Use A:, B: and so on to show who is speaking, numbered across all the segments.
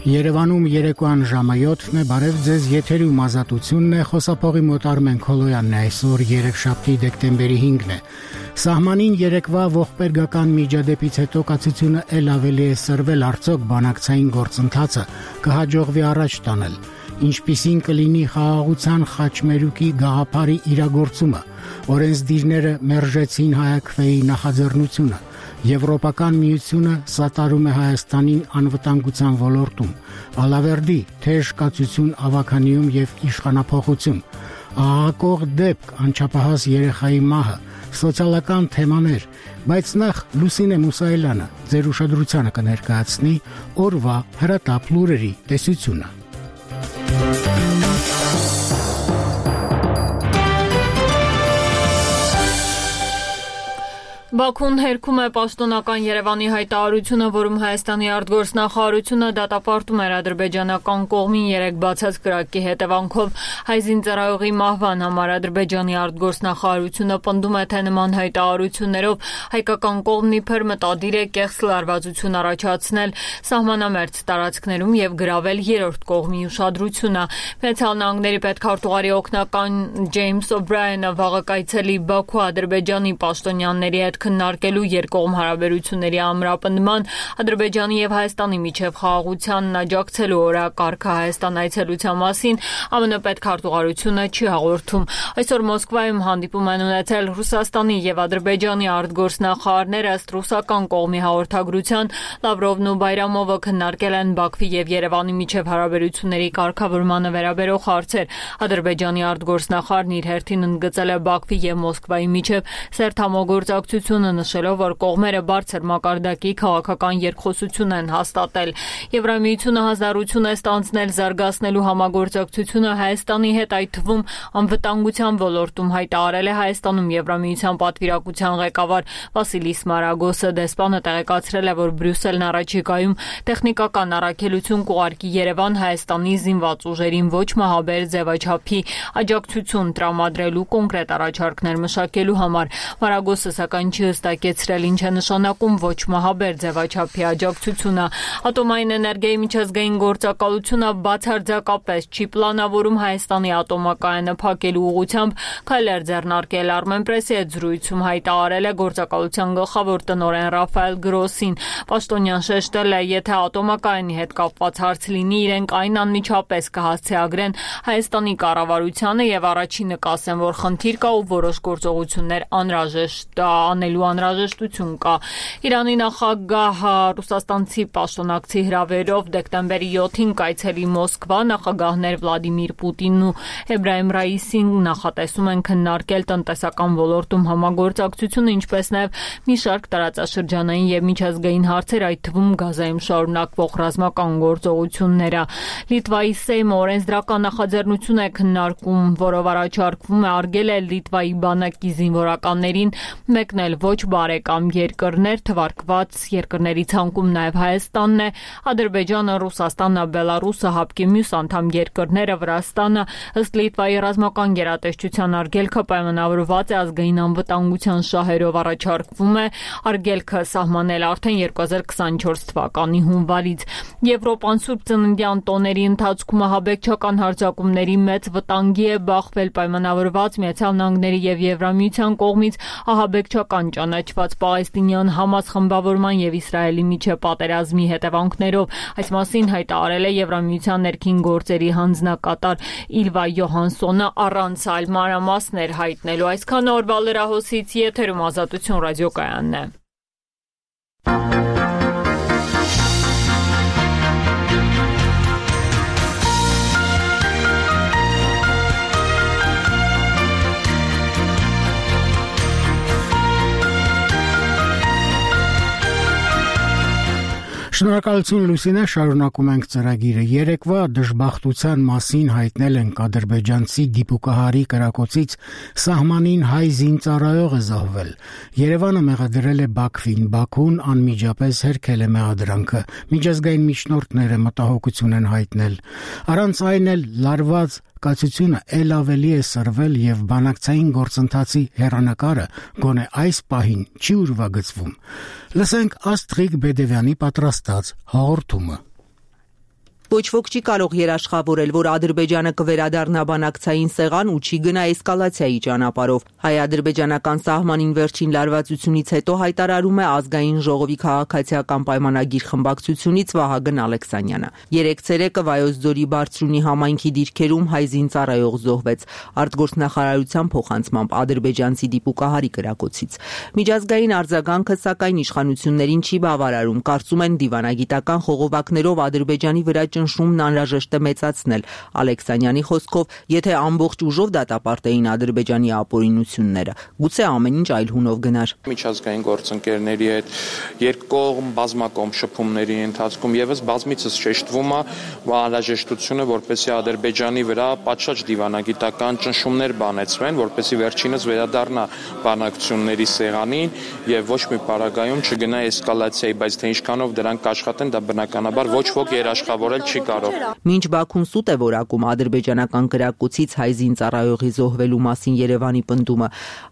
A: Երևանում երեկոյան ժամը 7-ն է, բարև ձեզ, եթերում ազատությունն է, խոսափողի մոտ Արմեն Քոլոյանն է, այսօր երեքշաբթի դեկտեմբերի 5-ն է։ Սահմանին երեկվա ողբերգական միջադեպից հետո կացությունը ել ավելի է սրվել, արդյոք բանակցային գործընթացը կհաջողվի առաջ տանել։ Ինչպիսին կլինի խաղաղության խաչմերուկի գաղափարի իրագործումը, օրենսդիրները մերժեցին Հայաքվեի նախաձեռնությունը, Եվրոպական միությունը սատարում է Հայաստանին անվտանգության ոլորտում, Ալավերդի թեժ կացություն ավականիում եւ իշխանափոխություն, աղաղակող դեպք անչափահաս երեխայի մահը, սոցիալական թեմաներ, բայց նախ Լուսինե Մուսայելյանը ձեր ուշադրությանը կներկայացնի օրվա հրատապ լուրերի տեսությունը։
B: Բաքուն հերքում է պաշտոնական Երևանի հայտարարությունը, որում Հայաստանի արտգործնախարարությունը դատապարտում էր ադրբեջանական կողմին 3 բացած կրակի հետևանքով հայ զինծառայողի մահվան համար Ադրբեջանի արտգործնախարարությունը պնդում է, թե նման հայտարարություններով հայկական կողմն իբր մտադիր է կեղծ լարվածություն առաջացնել սահմանամերձ տարածքներում եւ գրավել երրորդ կողմի ուշադրությունը։ Միացյալ Նահանգների պետքարտուղարի օգնական Ջեյմս Օբրայենը վաղը կայցելի Բաքու Ադրբեջանի պաշտոնյաների հետ քննարկելու երկկողմ հարաբերությունների ամրապնդման, Ադրբեջանի եւ Հայաստանի միջև խաղաղությանն աջակցելու օրակարգը Հայաստան այցելության մասին ԱՄՆ պետքարտուղարությունը չի հաղորդում։ Այսօր Մոսկվայում հանդիպում են ունեցել Ռուսաստանի եւ Ադրբեջանի արտգործնախարարները, ըստ ռուսական կողմի հաղորդագրության Լավրովն ու Բայրամովը քննարկել են Բաքվի եւ Երևանի միջև հարաբերությունների կարգավորմանը վերաբերող հարցեր։ Ադրբեջանի արտգործնախարարն իր հերթին ընդգծել է Բաքվի եւ Մոսկվայի միջև սերտ համագործակցությունը, նշելով, որ կողմերը բարձր մակարդակի քաղաքական երկխոսություն են հաստատել։ Եվրամիությունը հանձնառություն է ստանձնել զարգացնելու համագործակցությունը Հայաստանի հետ, այդ թվում անվտանգության ոլորտում, հայտարարել է Հայաստանում Եվրամիության պատվիրակության ղեկավար Վասիլիս Մարագոսը։ Դեսպանը տեղեկացրել է, որ Բրյուսելն առաջիկայում տեխնիկական առաքելություն կուղարկի Երևան Հայաստանի զինված ուժերին ոչ մահաբեր ձևաչափի աջակցություն տրամադրելու կոնկրետ առաջարկներ մշակելու համար։ Մարագոսը սակայն չի հստակեցրել ինչ է նշանակում ոչ մահաբեր ձևաչափի աջակցությունը։ Ատոմային էներգիայի միջազգային գործակալությունը բացարձակապես չի պլանավորում Հայաստանի ատոմակայանը փակելու ուղղությամբ քայլեր ձեռնարկել։ Armenpress-ի հետ զրույցում հայտարարել է գործակալության գլխավոր տնօրեն Ռաֆայել Գրոսին։ Պաշտոնյան շեշտել է, եթե ատոմակայանի հետ կապված հարց լինի, իրենք այն անմիջապես կհասցեագրեն Հայաստանի կառավարությանը եւ առաջինը կասեն, որ խնդիր կա ու որոշ գործողություններ անելու անհրաժեշտություն կա։ Իրանի նախագահը ռուսաստանցի պաշտոնակցի հրավերով դեկտեմբերի 7-ին կայցելի Մոսկվա, նախագահներ Վլադիմիր Պուտինն ու Էբրահիմ Ռայիսին նախատեսում են քննարկել տնտեսական ոլորտում համագործակցությունը, ինչպես նաև մի շարք տարածաշրջանային եւ միջազգային հարցեր, այդ թվում Գազայում շարունակվող ռազմական գործողությունները։ Լիտվայի Սեյմը օրենսդրական նախաձեռնություն է քննարկում, որով առաջարկվում է արգելել Լիտվայի բանակի զինվորականներին մեկնել ոչ բարեկամ երկրներ, թվարկված երկրների ցանկում նաև Հայաստանն է, Ադրբեջանը, Ռուսաստանը, Բելարուսը, ՀԱՊԿ-ի մյուս անդամ երկրները, Վրաստանը, ըստ Լիտվայի ռազմական գերատեսչության արգելքը պայմանավորված է ազգային անվտանգության շահերով, առաջարկվում է արգելքը սահմանել արդեն 2024 թվականի հունվարից։ Եվրոպան Սուրբ Ծննդյան տոների ընթացքում ահաբեկչական հարձակումների մեծ վտանգի է բախվել, պայմանավորված Միացյալ Նահանգների եւ Եվրամիության կողմից ահաբեկչական ճանաչված պաղեստինյան Համաս խմբավորման եւ Իսրայելի միջև պատերազմի հետևանքներով։ Այս մասին հայտարարել է Եվրամիության ներքին գործերի հանձնակատար Իլվա Յոհանսոնը առանց այլ մանրամասներ հայտնելու։ Այսքան օրվա լրահոսից եթերում Ազատություն ռադիոկայանն է։
A: Շնորհակալություն Լուսինե, շարունակում ենք ծրագիրը։ Երեկվա դժբախտության մասին հայտնել ենք ադրբեջանցի դիպուկահարի կրակոցից սահմանին հայ զինծառայող է զոհվել։ Երևանը մեղադրել է Բաքվին, Բաքուն անմիջապես հերքել է մեղադրանքը։ Միջազգային միջնորդները մտահոգություն են հայտնել։ Առանց այն էլ լարված կացությունը ել ավելի է սրվել եւ բանակցային գործընթացի հեռանկարը գոնե այս պահին չի ուրվագծվում։ Լսենք Աստրիկ Բեդևյանի պատրաստած հաղորդումը։
C: Ոչ ոք չի կարող երաշխավորել, որ Ադրբեջանը կվերադառնա բանակցային սեղան ու չի գնա էսկալացիայի ճանապարհով։ Հայ-ադրբեջանական սահմանին վերջին լարվածությունից հետո հայտարարում է Ազգային ժողովի քաղաքացիական պայմանագիր խմբակցությունից Վահագն Ալեքսանյանը։ Երեկ ցերեկը Վայոց ձորի Բարձրունի համայնքի դիրքերում հայ զինծառայող զոհվեց արտգործնախարարության փոխանցմամբ ադրբեջանցի դիպուկահարի կրակոցից։ Միջազգային արձագանքը սակայն իշխանություններին չի բավարարում, կարծում են դիվանագիտական խողովակներով Ադրբեջանի վրա ճնշումն անհրաժեշտ է մեծացնել։ Ալեքսանյանի խոսքով, եթե ամբողջ ուժով դատապարտեին Ադրբեջանի ապօրինությունները, գուցե ամեն ինչ այլ հունով գնար։
D: Միջազգային գործընկերների հետ երկկողմ բազմակողմ շփումների ընթացքում եւս բազմիցս շեշտվում է անհրաժեշտությունը, որպեսզի Ադրբեջանի վրա պատշաճ դիվանագիտական ճնշումներ բանեցվեն, որպեսզի վերջինս վերադառնա բանակցությունների սեղանին եւ ոչ մի պարագայում չգնա էսկալացիայի, բայց թե ինչքանով դրանք կաշխատեն, դա բնականաբար ոչ ոք երաշխավորել չի կարող։
C: Մինչ Բաքուն սուտ է որակում ադրբեջանական կրակոցից հայ զինծառայողի զոհվելու մասին Երևանի պնդումը,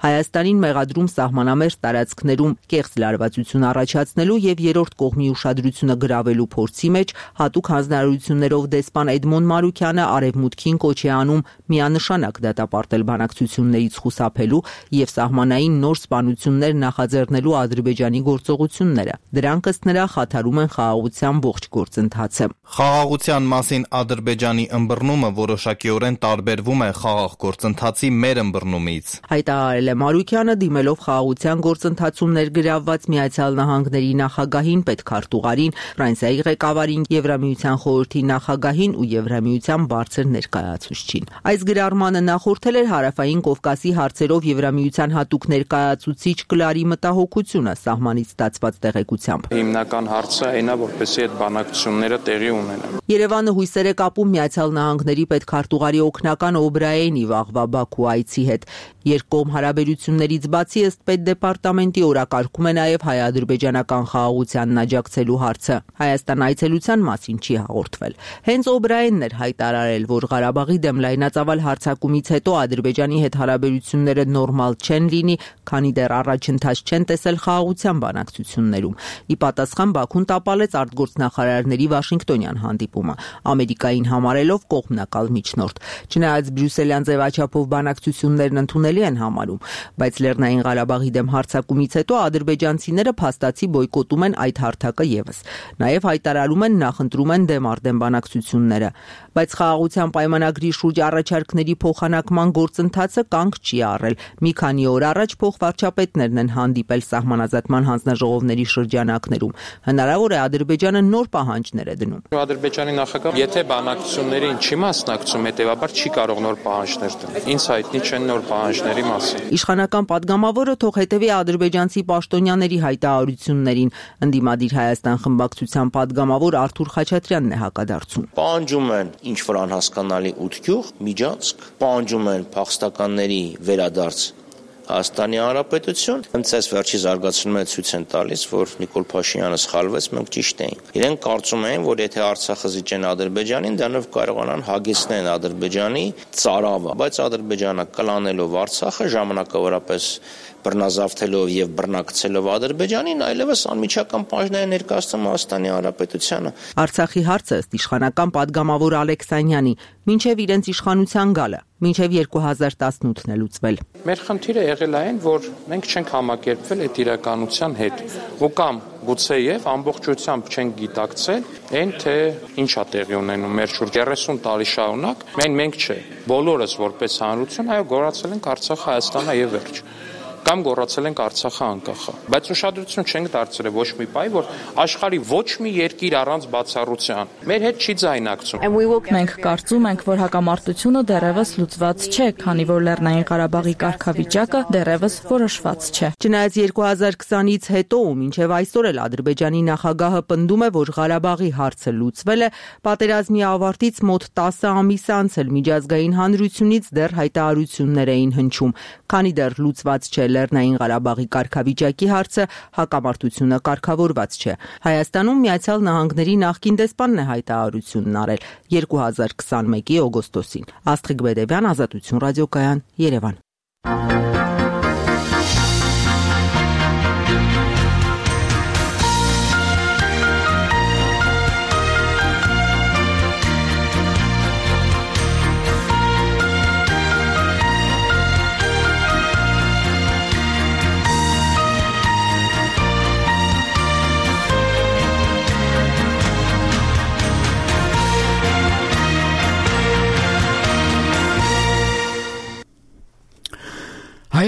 C: Հայաստանին մեղադրում սահմանամերձ տարածքներում կեղծ լարվածություն առաջացնելու եւ երրորդ կողմի ուշադրությունը գրավելու փորձի մեջ հատուկ հանձնարարություններով դեսպան Էդմոն Մարուկյանը արևմուտքին կոչ է անում միանշանակ դատապարտել բանակցություններից խուսափելու եւ սահմանային նոր սպանություններ նախաձեռնելու Ադրբեջանի գործողությունները։ Դրանք ըստ նրա խաթարում են խաղաղության ողջ գործընթացը։
E: Խաղաղության մասին Ադրբեջանի ըմբռնումը որոշակիորեն տարբերվում է խաղաղ գործընթացի մեր ըմբռնումից։
C: Հայտարարել է Մարուկյանը, դիմելով խաղաղության գործընթացում ներգրավված Միացյալ Նահանգների նախագահին, պետքարտուղարին, Ֆրանսիայի ղեկավարին, Եվրամիության խորհրդի նախագահին ու Եվրամիության բարձր ներկայացուցչին։ Այս գրառմանը նախորդել էր Հարավային Կովկասի հարցերով Եվրամիության հատուկ ներկայացուցիչ Կլարի մտահոգությունը սահմանից ստացված տեղեկությամբ։
D: Հիմնական հարցը այն է, որպեսզի այդ բանակցությունները տեղի ունենան։
C: Երևանը հույսեր է կապում Միացյալ Նահանգների պետքարտուղարի օգնական Օբրայենի վաղվա Բաքու այցի հետ։ Երկկողմ հարաբերություններից բացի ըստ պետդեպարտամենտի օրակարգում է նաև հայ-ադրբեջանական խաղաղությանն աջակցելու հարցը։ Հայաստան այցելության մասին չի հաղորդվել։ Հենց Օբրայենն էր հայտարարել, որ Ղարաբաղի դեմ լայնածավալ հարձակումից հետո Ադրբեջանի հետ հարաբերությունները նորմալ չեն լինի, քանի դեռ առաջընթաց չեն տեսել խաղաղության բանակցություններում։ Ի պատասխան Բաքուն տապալեց արտգործնախարարների Վաշինգտոնյան հանդիպումը, Ամերիկային համարելով կողմնակալ միջնորդ։ Չնայած բրյուսելյան ձևաչափով բանակցություններն ընդունելի են համարում, բայց Լեռնային Ղարաբաղի դեմ հարձակումից հետո ադրբեջանցիները փաստացի բոյկոտում են այդ հարթակը եւս։ Նաեւ հայտարարում են նախընտրում են դեմ արդեն բանակցությունները, բայց խաղաղության պայմանագրի շուրջ առաջարկների փոխանակման գործընթացը կանգ չի առել։ Մի քանի օր առաջ փոխվարչապետներն են հանդիպել սահմանազատման հանձնաժողովների շրջանակներում։ Հնարավոր է Ադրբեջանը նոր պահանջներ է դնում։
D: Ադրբեջանի նախագահը, եթե բանակցություններին չի մասնակցում, հետեւաբար չի կարող նոր պահանջներ դնել։ Ինձ հայտնի չեն նոր պահանջների մասին։
C: Իշխանական падգամավորը թող հետևի ադրբեջանցի պաշտոնյաների հայտարարություններին։ Ընդդիմադիր Հայաստան խմբակցության падգամավոր Արթուր Խաչատրյանն է հակադարձում։
F: Պահանջում են ինչ-որ անհասկանալի ություղ, միջանցք, պահանջում են փախստականների վերադարձ Հայաստանի Հանրապետություն։ Հենց այս վերջի զարգացումը ցույց են տալիս, որ Նիկոլ Փաշինյանը սխալվեց, մենք ճիշտ էինք։ Իրենք կարծում էին, որ եթե Արցախը զիջեն Ադրբեջանին, դրանով կարողանան հագեցնել Ադրբեջանի ծարավը, բայց Ադրբեջանը կլանելով Արցախը ժամանակավորապես բռնազավթելով եւ բռնակցելով Ադրբեջանին, այլևս անմիջական պահանջներ ներկայացնում Հայաստանի Հանրապետությանը։
C: Արցախի հարցը ըստ իշխանական падգամավոր Ալեքսանյանի մինչև իրենց իշխանության գալը, մինչև 2018-ն է լուծվել։
D: Մեր խնդիրը եղել է այն, որ մենք չենք համակերպվել այդ իրականության հետ, ու կամ գուցեև ամբողջությամբ չենք գիտակցել այն, թե ինչ է տեղի ունենում մեր շուրջ 30 տարի շարունակ, մենք չէ, բոլորս որպես հանրություն, այո, գոռացել ենք Արցախը Հայաստանը եւ վերջ։ Կամ գոռացել ենք Արցախը անկախը, բայց ուշադրություն չենք դարձրել ոչ մի պահի, որ աշխարհի ոչ մի երկիր առանց բացառության մեր հետ չի ձայնակցում։
G: Մենք կարծում ենք, որ հակամարտությունը դեռևս լուծված չէ, քանի որ Լեռնային Ղարաբաղի կարգավիճակը դեռևս որոշված չէ։
C: Չնայած 2020-ից հետո ու մինչև այսօր էլ Ադրբեջանի նախագահը պնդում է, որ Ղարաբաղի հարցը լուծվել է, պատերազմի ավարտից մոտ 10 ամիս անց էլ միջազգային հանրությունից դեռ հայտարարություններ էին հնչում, քանի դեռ լուծված չէ Լեռնային Ղարաբաղի կարգավիճակի հարցը, հակամարտությունը կարգավորված չէ։ Հայաստանում Միացյալ Նահանգների նախկին դեսպանն է հայտարարությունն արել 2021-ի օգոստոսին։ Աստղիկ Բեդևյան, Ազատություն ռադիոկայան, Երևան։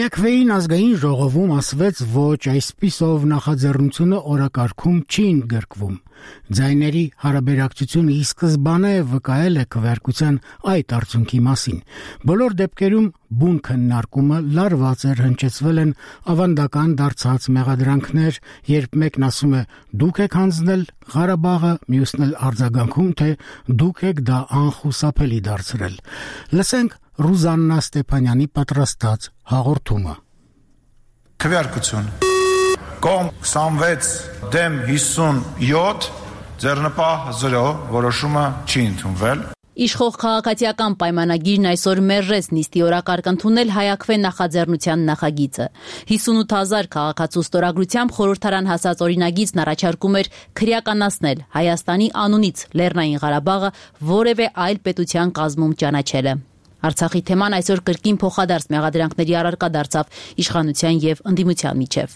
A: Հայաքվեին ազգային ժողովում ասվեց ոչ այսպիսով նախաձեռնությունը օրակարգում չի ընդգրկվում։ Ձայների հարաբերակցությունը ի սկզբանե վկայել է քվեարկության այդ արդյունքի մասին։ Բոլոր դեպքերում բուն քննարկումը լարված էր, հնչեցվել են ավանդական դարձած մեղադրանքներ, երբ մեկն ասում է դուք եք հանձնել Ղարաբաղը, մյուսն էլ արձագանքում, թե դուք եք դա անխուսափելի դարձրել։ Լսենք Ռուզաննա Ստեփանյանի պատրաստած հաղորդումը։
H: Քվեարկություն Կողմ 26 դեմ 57 ձեռնպահ 0 որոշումը չի ընդունվել։
I: Իշխող քաղաքացիական պայմանագիրն այսօր մերժեց նիստի օրակարգ ընդունել Հայաքվե նախաձեռնության նախագիծը։ 58,000 քաղաքացու ստորագրությամբ խորհրդարան հասած օրինագիծն առաջարկում էր քրեականացնել Հայաստանի անունից Լեռնային Ղարաբաղը որևէ այլ պետության կազմում ճանաչելը։ Արցախի թեման այսօր կրկին փոխադարձ մեղադրանքների առարկա դարձավ իշխանության եւ ընդդիմության միջև։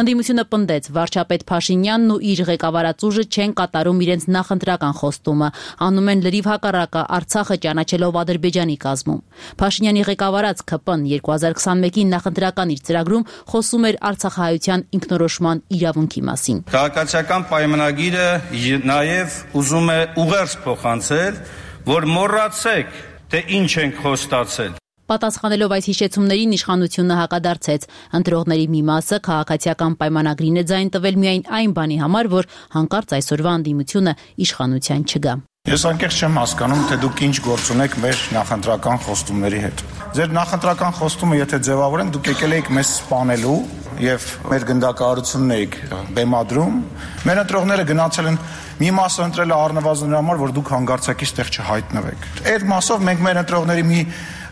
I: Ընդդիմությունը պնդեց վարչապետ Փաշինյանն ու իր ղեկավարած ուժը չեն կատարում իրենց նախընտրական խոստումը, անում են լրիվ հակառակը Արցախը ճանաչելով Ադրբեջանի կազմում։ Փաշինյանի ղեկավարած ՔՊ-ն 2021-ին նախընտրական իր ծրագրում խոսում էր արցախահայության ինքնորոշման իրավունքի մասին։
J: Քաղաքացիական պայմանագիրը նաեւ ուզում է ուղերձ փոխանցել, որ մոռացեք թե ինչ ենք խոստացել։
I: Պատասխանելով այս հիշեցումներին իշխանությունը հակադարձեց։ Ընտրողների մի մասը քաղաքացիական պայմանագրին է ձայն տվել միայն այն բանի համար, որ հանկարծ այսօրվա ընդդիմությունը իշխանության չգա։
H: Ես անկեղծ չեմ հասկանում, թե դուք ինչ գործ ունեք մեր նախընտրական խոստումների հետ։ Ձեր նախընտրական խոստումը եթե ձևավորեն, դուք եկել եք մեզ սպանելու եւ մեր գնդակահարությունն եք բեմադրում։ Մեր ընտրողները գնացել են մի մասը ընտրել է առնվազն նրա համար, որ դուք հանգարցակից տեղ չհայտնվեք։ Այդ մասով մենք մեր ընտրողների մի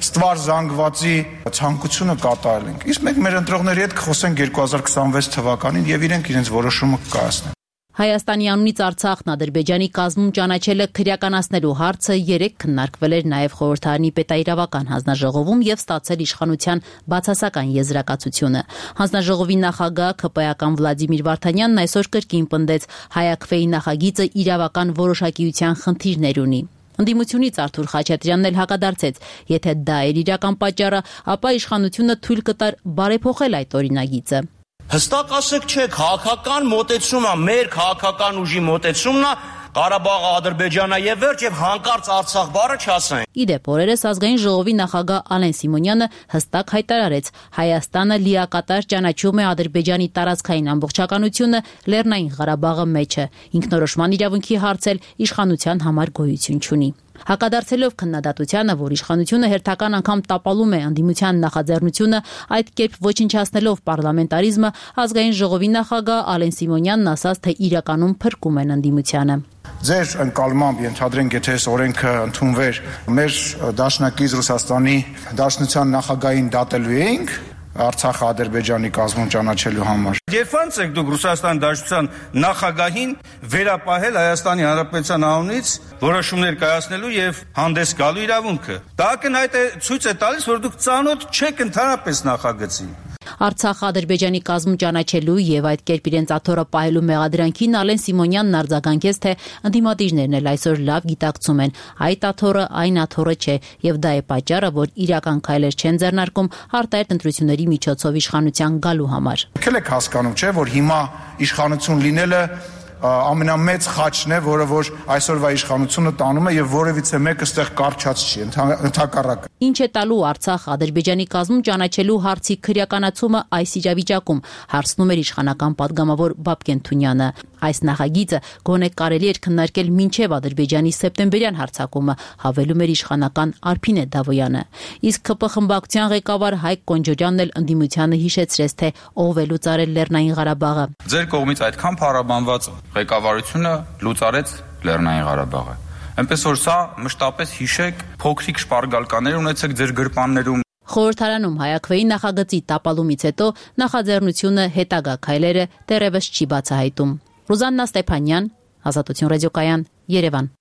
H: ստվար զանգվածի ցանկությունը կատարել ենք։ Իսկ մենք մեր ընտրողների հետ կխոսենք 2026 թվականին եւ իրենց որոշումը կկայացնեն։
I: Հայաստանի անունից Արցախն Ադրբեջանի կազմում ճանաչելը քրեականացնելու հարցը երեկ քննարկվել էր նաև խորհրդարանի պետաիրավական հանձնաժողովում եւ ստացել իշխանության բացասական եզրակացությունը։ Հանձնաժողովի նախագահ ՔՊ-ական Վլադիմիր Վարդանյանն այսօր կրկին պնդեց Հայաքվեի նախագիծը իրավական որոշակիության խնդիրներ ունի։ Ընդդիմությունից Արթուր Խաչատրյանն էլ հակադարձեց, եթե դա էր իրական պատճառը, ապա իշխանությունը թույլ կտար բարեփոխել այդ օրինագիծը։
F: Հստակ ասեք չէ, քաղաքական մոտեցումը, մեր քաղաքական ուժի մոտեցումն է Ղարաբաղը Ադրբեջանա եւ վերջ եւ հանկարծ Արցախ բառը չասեն։
I: Իդեպ օրերս ազգային ժողովի նախագահ Ալեն Սիմոնյանը հստակ հայտարարեց. Հայաստանը լիակատար ճանաչում է Ադրբեջանի տարածքային ամբողջականությունը Լեռնային Ղարաբաղը մեջը։ Ինքնորոշման իրավունքի հարցել իշխանության համար գոյություն չունի։ Հակադարձելով քննադատությանը, որ իշխանությունը հերթական անգամ տապալում է ընդդիմության նախաձեռնությունը, այդ կերպ ոչնչացնելով պարլամենտարիզմը, ազգային ժողովի նախագահ Ալեն Սիմոնյանն ասաց, թե իրականում փրկում են ընդդիմությանը։
H: Ձեր ընկալմամբ ենթադրենք, եթե այս օրենքը ընդունվեր, մեր դաշնակից Ռուսաստանի Դաշնության նախագահին դատելու էինք Արցախը Ադրբեջանի կազմում ճանաչելու համար։
J: Երբ ոնց եք դուք Ռուսաստանի Դաշնության նախագահին վերապահել Հայաստանի Հանրապետության անունից որոշումներ կայացնելու եւ հանդես գալու իրավունքը։ Դա ակնհայտ է ցույց է տալիս, որ դուք ծանոթ չեք ընդհանրապես նախագծին։
I: Արցախը Ադրբեջանի կազմում ճանաչելու եւ այդ կերպ իրենց աթոռը պահելու մեղադրանքին Ալեն Սիմոնյանն արձագանքեց, թե ընդդիմադիրներն էլ այսօր լավ գիտակցում են, այդ աթոռը այն աթոռը չէ եւ դա է պատճառը, որ իրական քայլեր չեն ձեռնարկում արտահայտ ընտրությունների միջոցով իշխանության գալու համար։
H: Եկել եք հասկանում, չէ, որ հիմա իշխանություն լինելը ամենամեծ խաչն է, որը որ այսօրվա իշխանությունը տանում է եւ որևիցե մեկը ստեղ կարճած չի, ընդհակառակը։
I: Ինչ է տալու Արցախ Ադրբեջանի կազմում ճանաչելու հարցի քրեականացումը այս իրավիճակում, հարցնում էր իշխանական падգամավոր Բաբկեն Թունյանը։ Այս նախագիծը գոնե կարելի էր քննարկել մինչև Ադրբեջանի սեպտեմբերյան հարձակումը, հավելում էր իշխանական Արփինե Դավոյանը։ Իսկ ԿՊ խմբակցության ղեկավար Հայկ Կոնջորյանն էլ ընդդիմությանը հիշեցրեց, թե ով է լուծարել Լեռնային Ղարաբաղը։
K: Ձեր կողմից այդքան փառաբանված ղեկավարությունը լուծարեց Լեռնային Ղարաբաղը։ Այնպես որ սա մշտապես հիշեք, փոքրիկ շպարգալկաներ ունեցեք ձեր գրպաններում։
I: Խորհրդարանում Հայաքվեի նախագծի տապալումից հետո նախաձեռնությունը հետագա քայլերը դեռևս չի բացահայտում։ Ռուզաննա Ստեփանյան, Ազատություն ռադիոկայան, Երևան։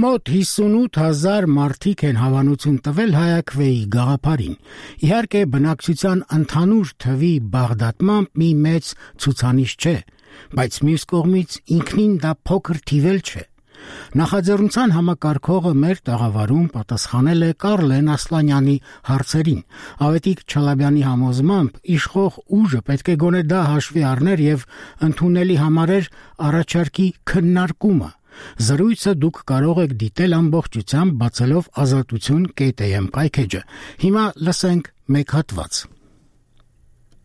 A: Մոտ 58,000 մարդիկ են հավանություն տվել Հայաքվեի գաղափարին։ Իհարկե, բնակչության ընդհանուր թվի բաղդատմամբ մի մեծ ցուցանիշ չէ, բայց մյուս կողմից ինքնին դա փոքր թիվ չէ։ Նախաձեռնության համակարգողը մեր տաղավարում պատասխանել է Կարլեն Ասլանյանի հարցերին։ Ավետիք Չալաբյանի համոզմամբ իշխող ուժը պետք է գոնե դա հաշվի առներ եւ ընդունելի համարեր առաջարկի քննարկումը։ Զրույցը դուք կարող եք դիտել ամբողջությամբ բացելով azatutun.am կայքեջը։ Հիմա լսենք մեկ հատված։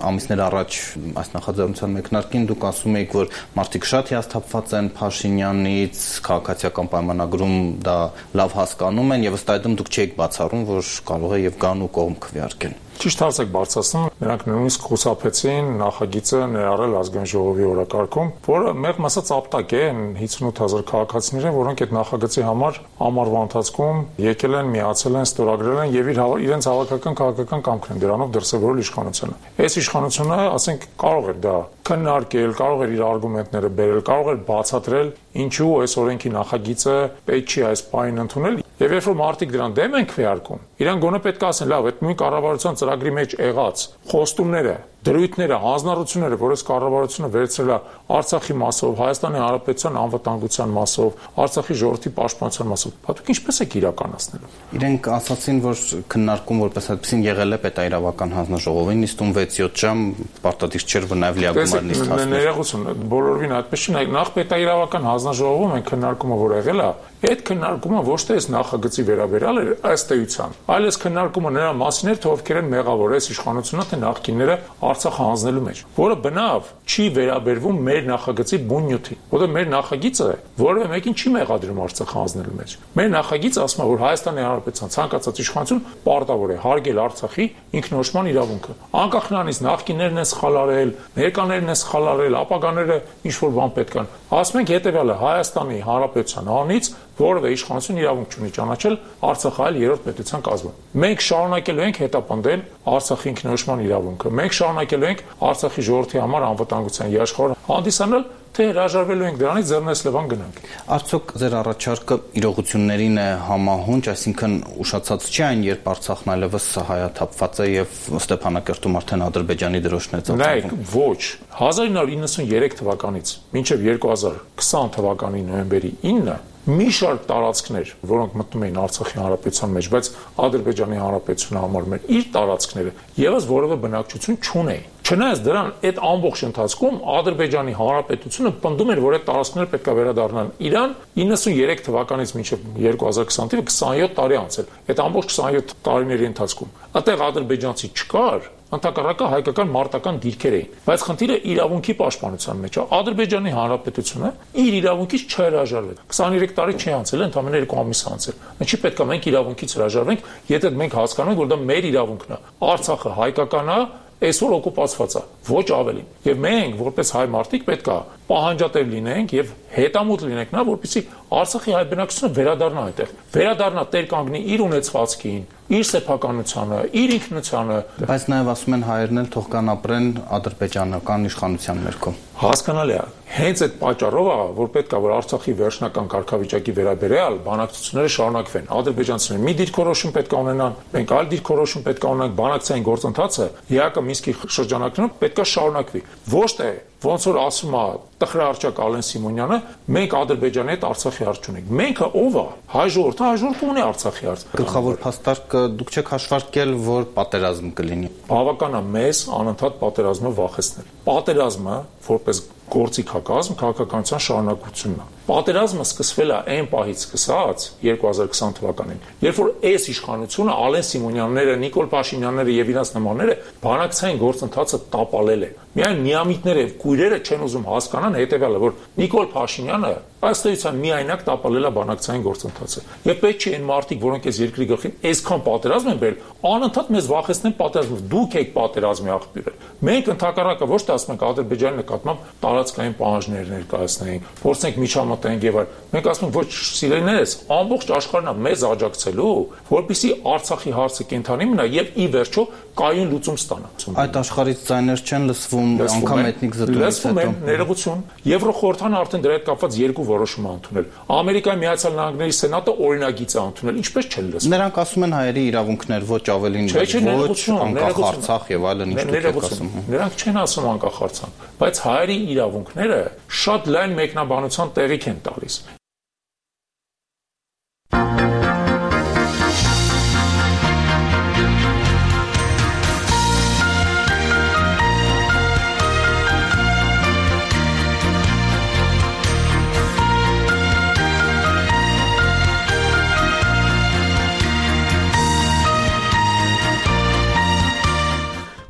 E: Ամիսներ առաջ այս նախաձեռնության մեկնարկին դուք ասում եք, որ մարդիկ շատ հիասթափված են Փաշինյանից, քաղաքացիական պայմանագրում դա լավ հասկանում են եւ ըստ այդմ դուք չեք բացառում, որ կարող է եւ գան ու կողմ քվեարկեն։
L: Ճիշտ հարց եք բարձրացնում, նրանք նույնիսկ խուսափեցին նախագիծը ներառել ազգային ժողովի օրակարգում, որը մեղմ ասած ապտակ է 58,000 քաղաքացիները, որոնք այդ նախագծի համար ամառվա ընթացքում եկել են, միացել են, ստորագրել են եւ իրենց հավաքական քաղաքական կամքն են դրանով դրսևորել իշխանությունը։ Այս իշխանությունը, ասենք, կարող էր դա քննարկել, կարող էր իր արգումենտները բերել, կարող էր բացատրել, ինչու այս օրենքի նախագիծը պետք չի այս պահին ընդունել։ Եվ երբ որ մարդիկ դրան դեմ են քվեարկում, իրան գոնե պետք է ասեն, լավ, այդ նույն կառավարության ծրագրի մեջ եղած խոստումները, դրույթները, հանձնառությունները, որ այս կառավարությունը վերցրել է Արցախի մասով, Հայաստանի Հանրապետության անվտանգության մասով, Արցախի ժողովրդի պաշտպանության մասով, դուք ինչպես եք իրականացնելու։
E: Իրենք ասացին, որ քննարկում որպես այդպեսին եղել է պետայրավական հանձնաժողովի նիստում 6-7 ժամ, պարտադիր չէր, որ նաև լիագումար նիստ հասներ։
L: Ներողություն, բոլորովին այդպես չի, նախ պետայրավական հանձնաժողովում են քննարկումը, որ եղել է, այդ քննարկումը ոչ թե այս նախագծի վերաբերյալ էր ըստ էության, այլ այս քննարկումը նրա մասին էր, թե ովքեր են մեղավոր այս իշխանությունը, թե նախկինները Արցախը հանձնելու մեջ, որը բնավ չի վերաբերվում մեր նախագծի բուն նյութին, որը մեր նախագիծը որևէ մեկին չի մեղադրում Արցախը հանձնելու մեջ։ Մեր նախագիծը ասում է, որ Հայաստանի Հանրապետության ցանկացած իշխանություն պարտավոր է հարգել Արցախի ինքնորոշման իրավունքը։ Անկախ նրանից նախկիններն են սխալարել, ներկաներն են սխալարել, ապագաները ինչ որ բան պետք են։ Ասում ենք հետեւյալը, Հայաստանի Հանրապետության անից որևէ իշխանություն իրավունք չունի ճանաչել Արցախը այլ երրորդ պետության կազմում։ Մենք շարունակելու ենք հետապնդել Արցախի ինքնորոշման իրավունքը։ Մենք շարունակելու ենք Արցախի ժողովրդի համար անվտանգության երաշխավոր հանդիսանալ, թե հրաժարվելու ենք դրանից ձեռնես լևան գնանք։
E: Արդյոք ձեր առաջարկը իրողություններին է համահունչ, այսինքն ուշացած չի այն, երբ Արցախն այլևս հայաթափված է եւ Ստեփանակերտում արդեն Ադրբեջանի դրոշն է ծածկվում։
L: Նայեք, ոչ, 1993 թվականից մինչև 2020 թվականի նոյեմբերի 9-ը մի շարք տարածքներ, որոնք մտնում էին Արցախի Հանրապետության մեջ, բայց Ադրբեջանի Հանրապետությունը համարում էր իր տարածքները, եւս որևէ բնակչություն չունեին։ Չնայած դրան այդ ամբողջ ընթացքում Ադրբեջանի Հանրապետությունը պնդում էր, որ այդ տարածքները պետք է վերադառնան Իրան 93 թվականից մինչև 2020 թվականը 27 տարի անցել։ Այդ ամբողջ 27 տարիների ընթացքում այդտեղ ադրբեջանցի չկար, ընդհակառակը հայկական մարտական դիրքեր էին, բայց խնդիրը իրավունքի պաշտպանության մեջ է։ Ադրբեջանի Հանրապետությունը իր իրավունքից չհրաժարվել։ 23 տարի չի անցել, ընդամենը 2 ամիս անցել։ Ինչի պետք է մենք իրավունքից հրաժարվենք, եթե մենք հասկանանք, որ դա մեր իրավունքն է։ Արցախը հայկական է, այսօր օկուպացված է, ոչ ավելին։ Եվ մենք, որպես հայ մարդիկ, պետք է պահանջատեր լինենք եւ հետամուտ լինենք նա, որպեսզի Արցախի հայ բնակչությունը վերադառնա այդտեղ։ Վերադառնա տեր կանգնի իր ունեցվածքին, իր սեփականությանը, իր ինքնությանը։
E: Բայց նաև ասում են հայերն էլ թող կան ապրեն ադրբեջանական իշխանության ներքո։
L: Հասկանալի է։ Հենց այդ պատճառով է, որ պետք է որ Արցախի վերջնական կարգավիճակի վերաբերյալ բանակցությունները շարունակվեն։ Ադրբեջանցիները մի դիրքորոշում պետք է ունենան, մենք այլ դիրքորոշում պետք է ունենանք, բանակցային գործընթացը ՀԱԿ-ը Մինսկի շրջանակներում պետք է շարունակվի։ Ոչ թե ոնց որ ասում է տխրահարճակ Ալեն Սիմոնյանը, մենք Ադրբեջանի հետ Արցախի հարց չունենք։ Մենքը ով է։ Հայ ժողովուրդը ունի Արցախի հարց։
E: Գլխավոր փաստարկը դուք չեք հաշվարկել, որ պատերազմ կլինի։
L: Բավական է մեզ անընդհատ պատերազմը վախեցնել։ Պատերազմը որպես գործիք հակազմ քաղաքականության շարունակությունն է։ Պատերազմը սկսվել է այն պահից սկսած 2020 թվականին, երբ որ այս իշխանությունը Ալեն Սիմոնյանները, Նիկոլ Փաշինյանները եւ իրենց նմանները բանակցային գործընթացը տապալել են։ Միայն միամիտները եւ կույրերը չեն ուզում հասկանան հետեւյալը, որ Նիկոլ Փաշինյանը ըստ էության միայնակ տապալել է բանակցային գործընթացը։ Եվ պետք չի այն մարդիկ, որոնք այս երկրի գլխին այսքան պատերազմ են բերել, անընդհատ մեզ վախեցնեն պատերազմով։ Դուք եք պատերազմի աղբյուրը։ Մենք ընդհակառակը ոչ թե ասում ենք Ադրբեջանի նկատմամբ տարածքային պահանջներ ներկայացնենք, փորձենք միջամտենք եւ այլ։ Մենք ասում ենք ոչ սիրելիներս, ամբողջ աշխարհն է մեզ աջակցելու, որպեսզի Արցախի հարցը կենթանի մնա եւ ի վերջո կայուն լուծում ստանա։
E: Այդ աշխարհից ձայներ չեն լսվում, անգամ էթնիկ զտումից
L: հետո ներողություն Եվրոխորհրդանը արդեն դրա հետ կապված երկու որոշում է ընդունել։ Ամերիկայի Միացյալ Նահանգների Սենատը օրինագիծ է ընդունել, ինչպես չեն լսում։
E: Նրանք ասում են հայերի իրավունքներ ոչ ավելին ոչ անկախ Արցախ եւ այլն, ինչ դուք եք ասում։
L: Նրանք չեն ասում անկախ Արցախ, բայց հայերի իրավունքները շատ լայն մեկնաբանության տեղիք են տալիս։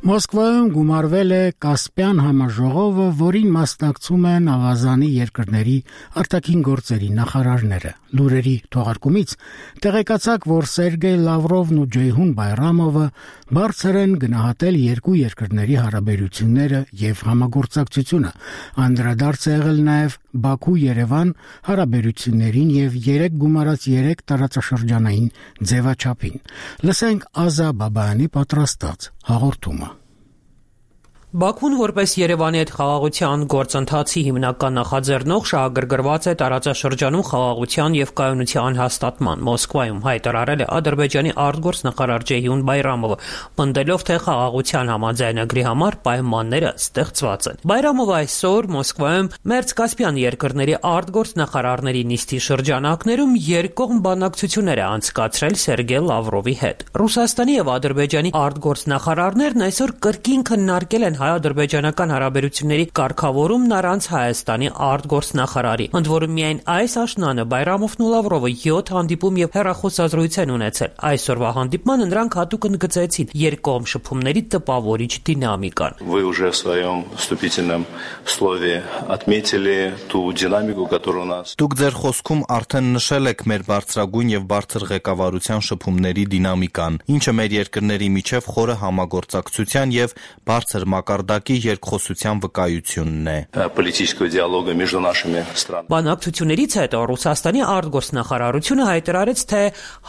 A: Մոսկվայում գումարվել է Կասպյան համաժողովը, որին մասնակցում են ավազանի երկրների արտաքին գործերի նախարարները։ Լուրերի թողարկումից տեղեկացաք, որ Սերգեյ Լավրովն ու Ջեյհուն Բայրամովը բարձր են գնահատել երկու երկրների հարաբերությունները եւ համագործակցությունը։ Անդրադարձ է եղել նաեւ Բաքու-Երևան հարաբերություններին եւ 3+3 տարածաշրջանային ձևաչափին։ Լսենք Ազա Բաբայանի պատրաստած հաղորդումը։
M: Բաքուն որպես Երևանի հետ խաղաղության գործընթացի հիմնական նախաձեռնող շահագրգռված է տարածաշրջանում խաղաղության եւ կայունության հաստատման։ Մոսկվայում հայտարարել է Ադրբեջանի արտգործնախարար Ջեյհուն Բայրամովը, պնդելով, թե խաղաղության համաձայնագրի համար պայմանները ստեղծված են։ Բայրամովը այսօր Մոսկվայում Մերձկասպյան երկրների արտգործնախարարների նիստի շրջանակներում երկկողմ բանակցություններ է անցկացրել Սերգեյ Լավրովի հետ։ Ռուսաստանի եւ Ադրբեջանի արտգործնախարարներն այսօր կրկին քննարկել են հայ-ադրբեջանական հարաբերությունների կարգավորումն առանց Հայաստանի արտգործնախարարի։ Ընդ որում միայն այս աշնանը Բայրամովն ու Լավրովը 7 հանդիպում եւ հեռախոսազրույց են ունեցել։ Այսօրվա հանդիպմանը նրանք հատուկ ընդգծեցին երկկողմ շփումների տպավորիչ դինամիկան։
N: Вы уже в своем вступительном слове отметили ту динамику, которая у нас.
E: Դուք ձեր խոսքում արդեն նշել եք մեր բարձրագույն եւ բարձր ղեկավարության շփումների դինամիկան, ինչը մեր երկրների միջև խորը համագործակցության եւ բարձր մակարդակի երկխոսության վկայությունն է։
N: Политического диалога между нашими странами.
M: Բանակցություններից հետո Ռուսաստանի արտգործնախարարությունը հայտարարեց, թե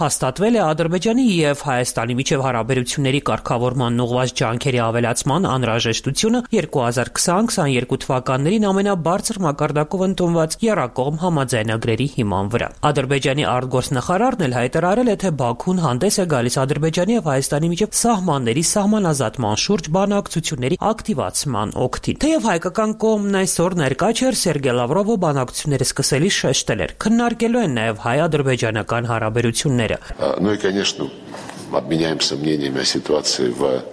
M: հաստատվել է Ադրբեջանի եւ Հայաստանի միջև հարաբերությունների կարգավորման ուղղված ջանքերի ավելացման անհրաժեշտությունը 2020-22 թվականներին ամենաբարձր մակարդակով ընդունված եռակողմ համաձայնագրերի հիման վրա։ Ադրբեջանի արտգործնախարարն էլ հայտարարել է, թե Բաքուն հանդես է գալիս Ադրբեջանի եւ Հայաստանի միջև սահմանների սահմանազատման շուրջ բանակցությունների ակտիվացման օգտին։ Թեև հայկական կողմն այսօր ներկա չէր, Սերգեյ Լավրովը բանակցությունները սկսելիս շեշտել էր, քննարկելու են նաեւ հայ-ադրբեջանական հարաբերությունները։
N: Ну и, конечно, обменяемся мнениями о ситуации в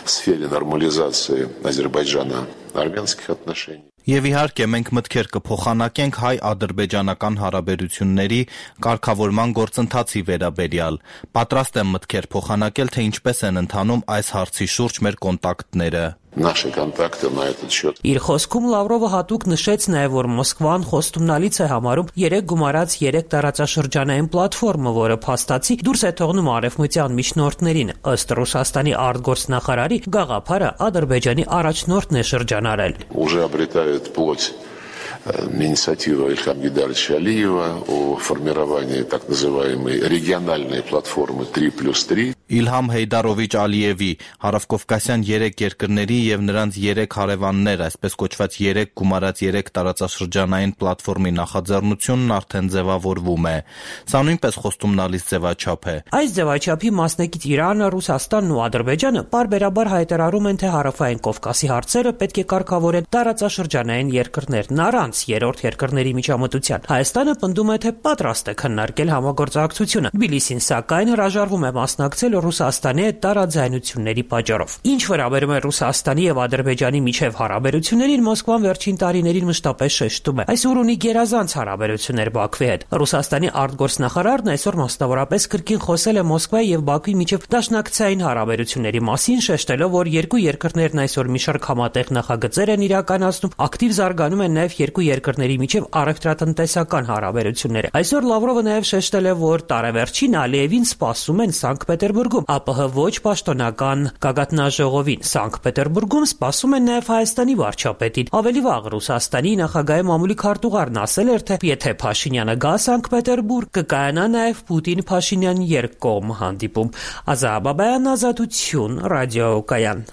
N: сфере нормализации азербайджано-армянских отношений.
E: Եվ իհարկե մենք մտքեր կփոխանակենք հայ-ադրբեջանական հարաբերությունների կարգավորման գործընթացի վերաբերյալ։ Պատրաստ եմ մտքեր փոխանակել, թե ինչպես են ընթանում այս հարցի շուրջ մեր կոնտակտները։
N: Наши контакты на этот счет.
M: Իր խոսքում Լավրովը հատուկ նշեց նաև, որ Մոսկվան խոստումնալից է համարում 3+3 տարածաշրջանային պլատֆորմը, որը փաստացի դուրս է թողնում արևմտյան միջնորդներին։ Ըստ Ռուսաստանի արտգործնախարարի գաղափարը Ադրբեջանի առաջնորդն է շրջանարել։
N: Уже обретает плоть инициатива Ильхама Гейдаровича Алиева о формировании так называемой региональной платформы 3+3.
E: Իլհամ Հեյդարովիչ Ալիևի հարավկովկասյան 3 երկրների եւ նրանց 3 հարևաններ, այսպես կոչված 3+3 տարածաշրջանային պլատֆորմի նախաձեռնությունն արդեն ձևավորվում է։ Սա նույնպես խոստումնալից ձևաչափ է։
M: Այս ձևաչափի մասնակից Իրանը, Ռուսաստանն ու Ադրբեջանը պարբերաբար հայտարարում են, թե հարավային Կովկասի հարցերը պետք է կարգավորեն տարածաշրջանային երկրներն առանց երրորդ երկրների միջամտության։ Հայաստանը պնդում է, թե պատրաստ է քննարկել համագործակցությունը։ Թբիլիսին սակայն հրաժարվում է մասնակցել Ռուսաստանի հետ տարաձայնությունների պատճառով։ Ինչ վերաբերում է Ռուսաստանի եւ Ադրբեջանի միջև հարաբերություններին, Մոսկվան վերջին տարիներին մշտապես շեշտում է։ Այսօր ունի գերազանց հարաբերություններ Բաքվի հետ։ Ռուսաստանի արտգործնախարարն այսօր մասնավորապես կրկին խոսել է Մոսկվայի եւ Բաքվի միջև դաշնակցային հարաբերությունների մասին, շեշտելով, որ երկու երկրներն այսօր մի շարք համատեղ նախագծեր են իրականացնում, ակտիվ զարգանում են նաեւ երկու երկրների միջև առևտրատնտեսական հարաբերությունները։ Այսօր Լավրովը նաեւ շեշտել է, որ տարեվերջին Ալիևին սպասում են Սանկտ Պետերբուրգում, ԱՊՀ ոչ պաշտոնական գագաթնաժողովին։ Սանկտ Պետերբուրգում սպասում են նաև Հայաստանի վարչապետին։ Ավելի վաղ Ռուսաստանի նախագահի մամուլի քարտուղարն ասել էր, թե եթե Փաշինյանը գա Սանկտ Պետերբուրգ, կկայանա նաև Պուտին-Փաշինյան երկկողմ հանդիպում։ Ազա Բաբայան, Ազատություն, ռադիոկայան։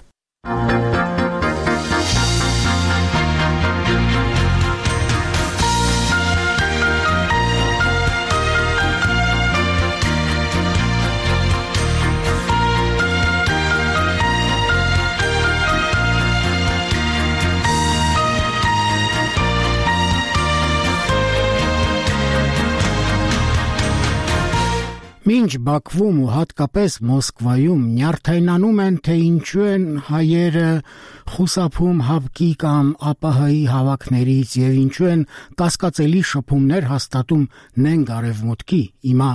A: Մինչ Բաքվում ու հատկապես Մոսկվայում նյարդայնանում են, թե ինչու են հայերը խուսափում ՀԱԲԿ-ի կամ ԱՊՀ-ի հավաքներից եւ ինչու են կասկածելի շփումներ հաստատում նենք արևմուտքի, հիմա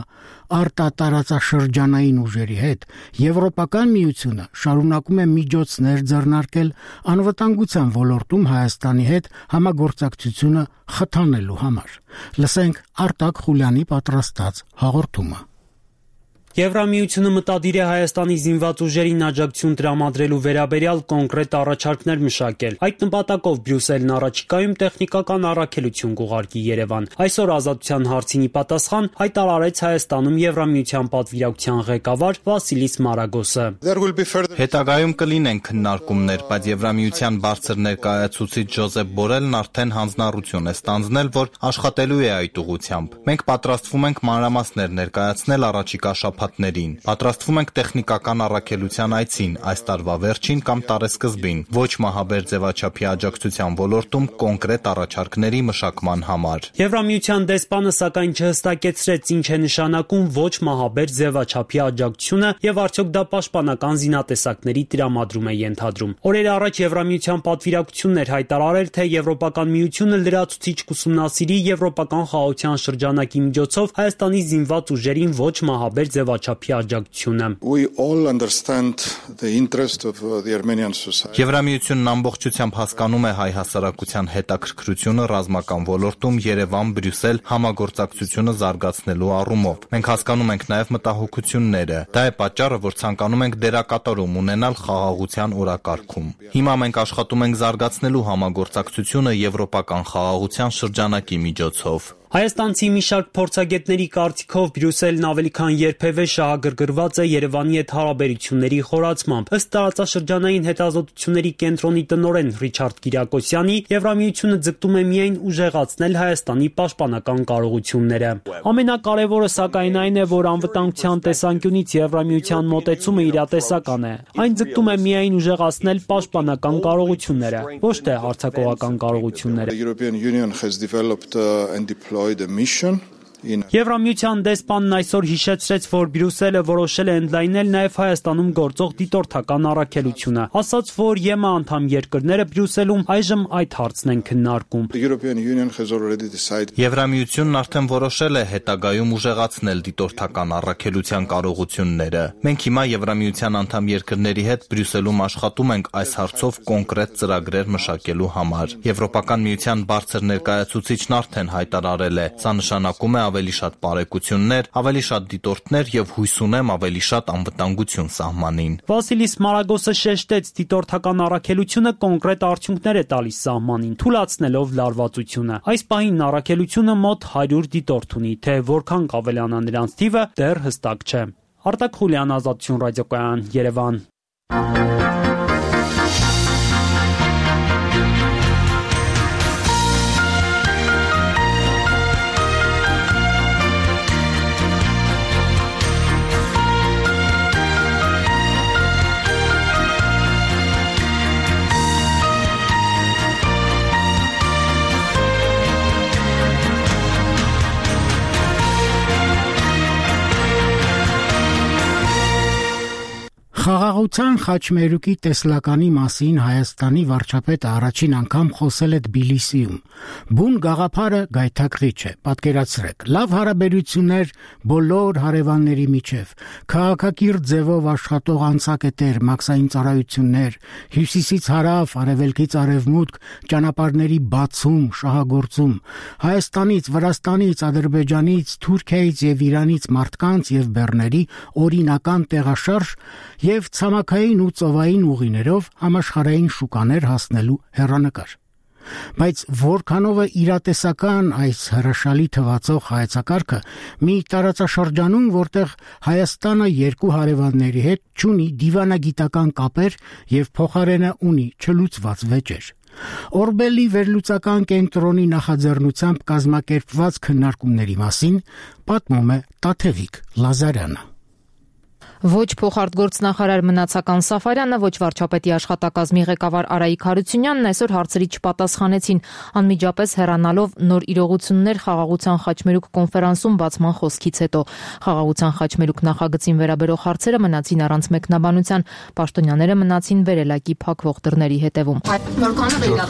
A: արտատարածաշրջանային ուժերի հետ, Եվրոպական միությունը շարունակում է միջոցներ ձեռնարկել անվտանգության ոլորտում Հայաստանի հետ համագործակցությունը խթանելու համար։ Լսենք Արտակ Խուլյանի պատրաստած հաղորդումը։
O: Եվրամիությունը մտադիր է Հայաստանի զինված ուժերին աջակցություն տրամադրելու վերաբերյալ կոնկրետ առաջարկներ մշակել։ Այդ նպատակով Բրյուսելն առաջիկայում տեխնիկական առաքելություն կուղարկի Երևան։ Այսօր Ազատության հարցին ի պատասխան հայտարարեց Հայաստանում Եվրամիության պատվիրակության ղեկավար Վասիլիս Մարագոսը։
E: Հետագայում կլինեն քննարկումներ, բայց Եվրամիության բարձր ներկայացուցիչ Ջոզեփ Բորելն արդեն հանձնառություն է ստանձնել, որ աշխատելու է այդ ուղղությամբ։ Մենք պատրաստվում ենք մանրամասներ ներկայացնել առաջիկա շաբաթներին։ Պատրաստվում ենք տեխնիկական առաքելության այցին այս տարվա վերջին կամ տարեսկզբին, ոչ մահաբեր ձևաչափի աջակցության ոլորտում կոնկրետ առաջարկների մշակման համար։
O: Եվրամիության դեսպանը սակայն չհստակեցրեց ինչ է նշանակում ոչ մահաբեր ձևաչափի աջակցությունը եւ արդյոք դա պաշտպանական զինատեսակների տրամադրում է ենթադրում։ Օրեր առաջ Եվրամիության պատվիրակությունն էր հայտարարել, թե Եվրոպական միությունը լրացուցիչ կուսումնասիրի եվրոպական խաղաղության շրջանակի միջոցով Հայաստանի զինված ուժերին ոչ մահաբեր ձևաչափի աջակցությունը։
E: Եվրամիությունն ամբողջությամբ հասկանում է հայ հասարակության հետաքրքրությունը ռազմական ոլորտում Երևան-Բրյուսել համագործակցությունը զարգացնելու առումով։ Մենք հասկանում ենք նաև մտահոգությունները։ Դա է պատճառը, որ ցանկանում ենք դերակատարում ունենալ խաղաղության օրակարգում։ Հիմա մենք աշխատում ենք զարգացնելու համագործակցությունը եվրոպական խաղաղության շրջանակի միջոցով։
O: Հայաստանցի մի շարք փորձագետների կարծիքով Բրյուսելն ավելի քան երբևէ շահագրգռված է Երևանի հետ հարաբերությունների խորացմամբ։ Ըստ տարածաշրջանային հետազոտությունների կենտրոնի տնօրեն Ռիչարդ Կիրակոսյանի, Եվրամիությունը ձգտում է միայն ուժեղացնել Հայաստանի պաշտպանական կարողությունները։ Ամենակարևորը սակայն այն է, որ անվտանգության տեսանկյունից Եվրամիության մոտեցումը իրատեսական է։ Այն ձգտում է միայն ուժեղացնել պաշտպանական կարողությունները, ոչ թե հարձակողական կարողությունները։ Եվրամիության դեսպանն այսօր հիշեցրեց, որ Բրյուսելը որոշել է ընդլայնել նաև Հայաստանում գործող դիտորդական առաքելությունը, ասաց, որ ԵՄ անդամ երկրները Բրյուսելում այժմ այդ հարցն են քննարկում։
E: Եվրամիությունն արդեն որոշել է հետագայում ուժեղացնել դիտորդական առաքելության կարողությունները։ Մենք հիմա Եվրամիության անդամ երկրների հետ Բրյուսելում աշխատում ենք այս հարցով կոնկրետ ծրագրեր մշակելու համար։ Եվրոպական միության բարձր ներկայացուցիչն արդեն հայտարարել է, սա նշանակում է ավելի շատ բարեկություններ, ավելի շատ դիտորդներ եւ հույս ունեմ ավելի շատ անվտանգություն սահմանին։
O: Վասիլիս Մարագոսը շեշտեց, դիտորդական առաքելությունը կոնկրետ արդյունքներ է տալիս սահմանին, թույլատնելով լարվածությունը։ Այս պահին առաքելությունը մոտ 100 դիտորդ ունի, թե որքան կավելանա նրանց թիվը դեռ հստակ չէ։ Արտակ Խուլյան, Ազատություն ռադիոկայան, Երևան։
A: Խաղաղության խաչմերուկի տեսլականի մասին Հայաստանի վարչապետը առաջին անգամ խոսել է Թբիլիսիում։ Բուն գաղափարը գայթակղիչ է, պատկերացրեք, լավ հարաբերություններ բոլոր հարևանների միջև, քաղաքակիրթ ձևով աշխատող անցակետեր, մաքսային ծառայություններ, հյուսիսից հարավ, արևելքից արևմուտք, ճանապարհների բացում, շահագործում, Հայաստանից, Վրաստանից, Ադրբեջանից, Թուրքիայից եւ Իրանից մարդկանց եւ բեռների օրինական տեղաշարժ եւ ցամաքային ու ծովային ուղիներով համաշխարհային շուկաներ հասնելու հեռանկար։ Բայց որքանով է իրատեսական այս հրաշալի թվացող հայեցակարգը մի տարածաշրջանում, որտեղ Հայաստանը երկու հարևանների հետ չունի դիվանագիտական կապեր եւ փոխարենը ունի չլուծված վեճեր։ Օրբելի վերլուծական կենտրոնի նախաձեռնությամբ կազմակերպված քննարկումների մասին պատմում է Տաթևիկ Լազարյանը։
P: Ոչ փոխարտգործնախարար Մնացական Սաֆարյանը, ոչ վարչապետի աշխատակազմի ղեկավար Արայիկ Հարությունյանն այսօր հարցերի չպատասխանեցին, անմիջապես հեռանալով նոր իրողություններ խաղաղության խաչմերուկ կոնֆերանսում բացման խոսքից հետո։ Խաղաղության խաչմերուկ նախագծին վերաբերող հարցերը մնացին առանց մեկնաբանության, պաշտոնյաները մնացին վերելակի փակվող դռների հետևում։
Q: Որքանով եք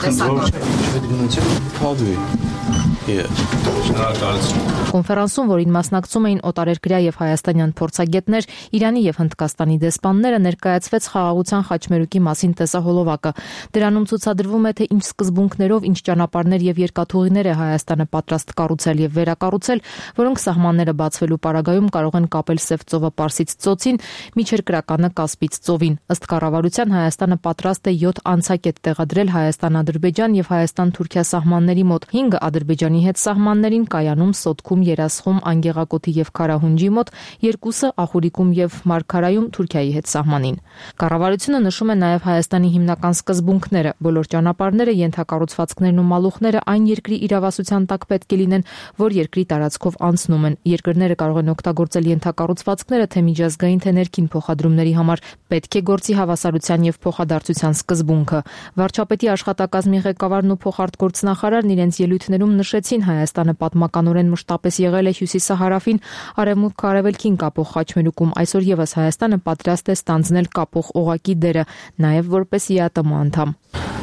P: Կոնֆերանսում, որին մասնակցում էին օտարերկրյա եւ հայաստանյան փորձագետներ, Իրանի եւ Հնդկաստանի դեսպանները, ներկայացվեց խաղաղության խաչմերուկի մասին տեսահոլովակը։ Դրանում ցուցադրվում է, թե ինչ սկզբունքներով, ինչ ճանապարհներ եւ երկաթուղիներ է Հայաստանը պատրաստ կառուցել եւ վերակառուցել, որոնք սահմանները բացվելու պարագայում կարող են կապել Սև ծովը Պարսից ծոցին, միջերկրականը Կասպից ծովին։ Ըստ կառավարության Հայաստանը պատրաստ է 7 անցակետ տեղադրել Հայաստան-Ադրբեջան եւ Հայաստան-Թուրքիա սահմանների մոտ, 5 Ադրբեջանի հետ սահմաններին Կայանում, Սոտքում, Երասխում, Անգեղակոթի եւ Քարահունջի մոտ, 2-ը Ախուրիկում եւ Մարգարայում Թուրքիայի հետ սահմանին։ Կառավարությունը նշում է նաեւ Հայաստանի հիմնական սկզբունքները։ Բոլոր ճանապարհները, ենթակառուցվածքներն ու մալուխները այն երկրի իրավասության տակ պետք է լինեն, որ երկրի տարածքով անցնում են։ Երկրները կարող են օգտագործել ենթակառուցվածքները թե միջազգային, թե ներքին փոխադրումների համար։ Պետք է գործի հավասարության եւ փոխադարձության սկզբունքը։ Վարչապետի աշխատակազմի ղեկավարն ու փոխարտգործնախարարն իրենց ելույթներում նշեցին, Հայաստանը պատմականորեն մշտապես եղել է հյուսիսահարավին, արևմուտք արևելքին կապող խաչմերուկում, այսօր եւս Հայաստանը պատրաստ է ստանձնել կապող օղակի դերը, նաեւ որպես ԵԱՏՄ անդամ։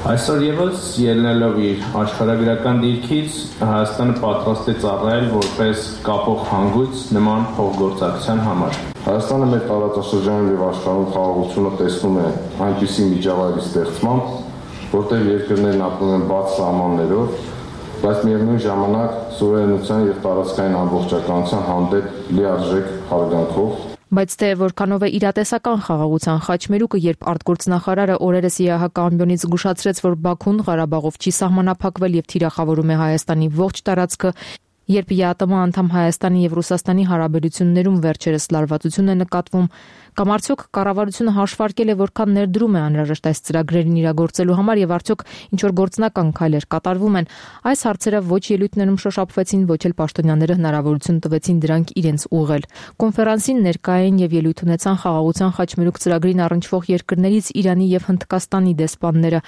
R: Այսօր եւս ելնելով իր աշխարհագրական դիրքից, Հայաստանը պատրաստ է ծառայել որպես կապող հանգույց նման փոխգործակցության համար։
S: Հայաստանը մեր տարածաշրջանում եւ աշխարհում խաղաղությունը տեսնում է այնպիսի միջավայրի ստեղծմամբ, որտեղ երկրներն ապրում են բաց սահմաններով, բայց միևնույն ժամանակ սուվերենության եւ տարածքային ամբողջականության հանդեպ լիարժեք հարգանքով։
P: Բայց թե որքանով է իրատեսական խաղաղության խաչմերուկը, երբ արտգործնախարարը օրերս ԵԱՀԿ ամբիոնից զգուշացրեց, որ Բաքուն Ղարաբաղով չի սահմանափակվել եւ թիրախավորում է Հայաստանի ողջ տարածքը, երբ ԵԱՏՄ անդամ Հայաստանի եւ Ռուսաստանի հարաբերություններում վերջերս լարվածություն է նկատվում, կամ արդյոք կառավարությունը հաշվարկել է, որքան ներդրում է անհրաժեշտ այս ծրագրերին իրագործելու համար եւ արդյոք ինչ որ գործնական քայլեր կատարվում են, այս հարցերը ոչ ելույթներում շոշափվեցին, ոչ էլ պաշտոնյաները հնարավորություն տվեցին դրանք իրենց ուղղել։ Կոնֆերանսին ներկայ էին եւ ելույթ ունեցան խաղաղության խաչմերուկ ծրագրին առնչվող երկրներից Իրանի եւ Հնդկաստանի դեսպանները։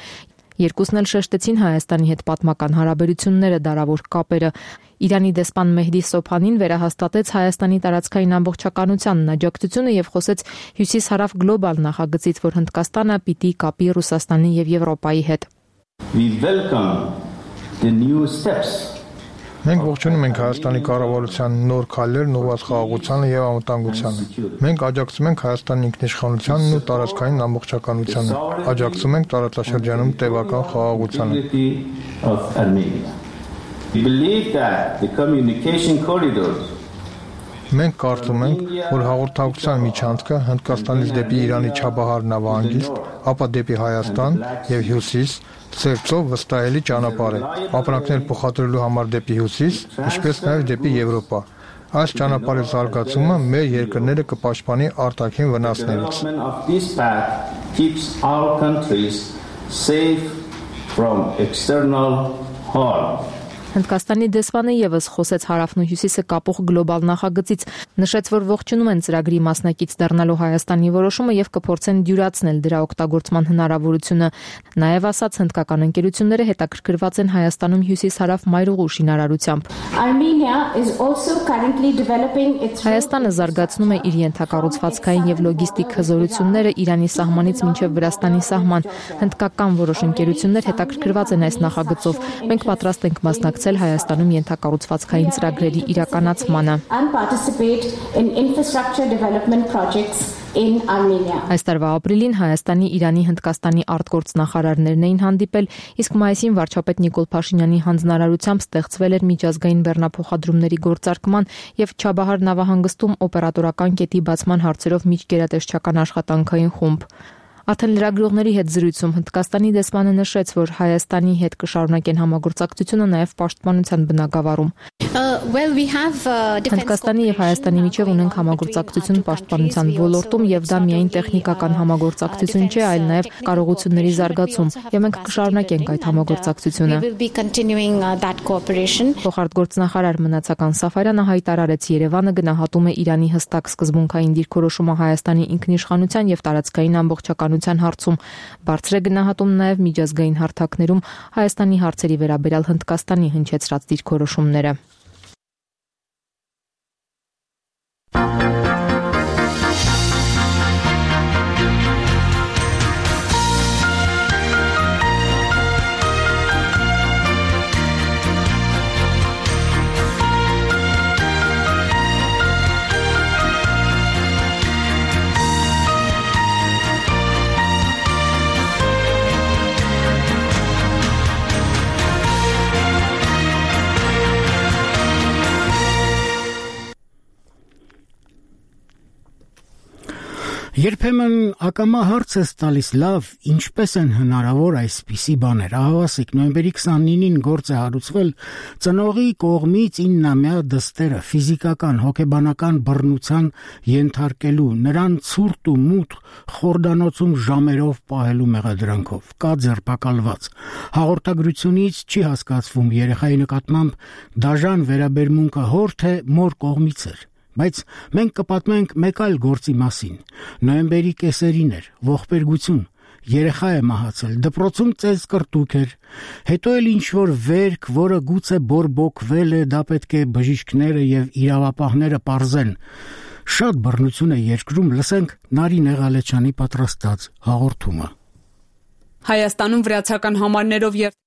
P: Երկուսն էլ շեշտեցին Հայաստանի հետ պատմական հարաբերությունները, դարավոր կապերը։ Իրանի դեսպան Մեհդի Սոփանին վերահաստատեց Հայաստանի տարածքային ամբողջականությանն աջակցությունը եւ խոսեց հյուսիս-հարավ գլոբալ նախագծից, որ Հնդկաստանը պիտի կապի Ռուսաստանի եւ Եվրոպայի հետ։
R: We welcome the new steps.
T: Մենք ողջունում ենք Հայաստանի կառավարության նոր քայլերն ուղղված խաղաղությանը եւ անվտանգությանը։ Մենք աջակցում ենք Հայաստանի ինքնիշխանությանն ու տարածքային ամբողջականությանը։ Աջակցում ենք տարածաշրջանում տևական խաղաղությանը։
R: We believe that the communication corridors
T: Մենք կարծում ենք, որ հաղորդակցության միջանցքը Հնդկաստանից դեպի Իրանի Չաբահար նավահանգիստ, ապա դեպի Հայաստան եւ Հյուսիս Սև ծով վստահելի ճանապարհ է։ Ապրանքներ փոխադրելու համար դեպի Հյուսիս, ինչպես նաեւ դեպի Եվրոպա։ Այս ճանապարհի զարգացումը մեր երկրները կպաշտպանի արտաքին վնասներից։
P: Հնդկաստանի դեսպանը եւս խոսեց հարավն ու հյուսիսը կապող գլոբալ նախագծից, նշեց, որ ողջունում են ծրագրի մասնակից դառնալու Հայաստանի որոշումը եւ կփորձեն դյուրացնել դրա օգտագործման հնարավորությունը։ Նաեւ ասաց, հնդկական ընկերությունները հետաքրքրված են Հայաստանում հյուսիս-հարավ մայրուղու շինարարությամբ։ Հայաստանը զարգացնում է իր ենթակառուցվածքային եւ լոգիստիկ հզորությունները Իրանի սահմանից մինչեւ Վրաստանի սահման։ Հնդկական որոշ ընկերություններ հետաքրքրված են այս նախագծով։ Մենք պատրաստ ենք մասնակցել Հայաստանում ենթակառուցվածքային ծրագրերի իրականացմանը։ Այս տարվա ապրիլին Հայաստանի, Իրանի, Հնդկաստանի արտգործնախարարներն էին հանդիպել, իսկ մայիսին վարչապետ Նիկոլ Փաշինյանի հանձնարարությամբ ստեղծվել էր միջազգային բեռնափոխադրումների գործարկման եւ Չաբահար նավահանգստում օպերատորական կետի բացման հարցերով միջգերատեսչական աշխատանքային խումբ։ Արդեն լրագրողների հետ զրույցում Հնդկաստանի դեսպանը նշեց, որ Հայաստանի հետ կշարունակեն համագործակցությունը նաև պաշտպանության բնագավառում։ Հնդկաստանի եւ Հայաստանի միջև ունենք համագործակցություն պաշտպանության ոլորտում եւ դա միայն տեխնիկական համագործակցություն չէ, այլ նաև կարողությունների զարգացում եւ մենք կշարունակենք այդ համագործակցությունը։ Փոխարտգործնախարար Մնացական Սաֆարյանը հայտարարեց, Երևանը գնահատում է Իրանի հստակ սկզբունքային դիրքորոշումը Հայաստանի ինքնիշխանության եւ տարածքային ամբողջականության հարցում։ Բարձր է գնահատում նաև միջազգային հարթակներում Հայաստանի հարցերի վերաբերյալ Հնդկաստանի հնչեցրած դիրքորոշումները։
A: Երբեմն ակամա հարց է տալիս լավ, ինչպես են հնարավոր այսպիսի բաներ։ Ահավասիկ նոյեմբերի 29-ին գործ է հարուցվել ծնողի կողմից 9-ամյա դստերը ֆիզիկական, հոգեբանական բռնության ենթարկելու, նրան ցուրտ ու մութ խորդանոցում ժամերով պահելու մեղադրանքով։ Կա ձերբակալված։ Հաղորդագրությունից չի հասկացվում երեխայի նկատմամբ դաժան վերաբերմունքը հոր թե մոր կողմից էր։ Բայց մենք կպատմենք մեկ այլ գործի մասին։ Նոյեմբերի կեսերին էր, ողբերգություն, երեխա է մահացել, դպրոցում ծեզ կրտուկ էր, հետո էլ ինչ-որ վերք, որը գուցե բորբոքվել է, դա պետք է բժիշկները եւ իրավապահները պարզեն։ Շատ բռնություն է երկրում, լսենք Նարին Եղալեչյանի պատրաստած հաղորդումը։
Q: Հայաստանում վրացական համարներով եւ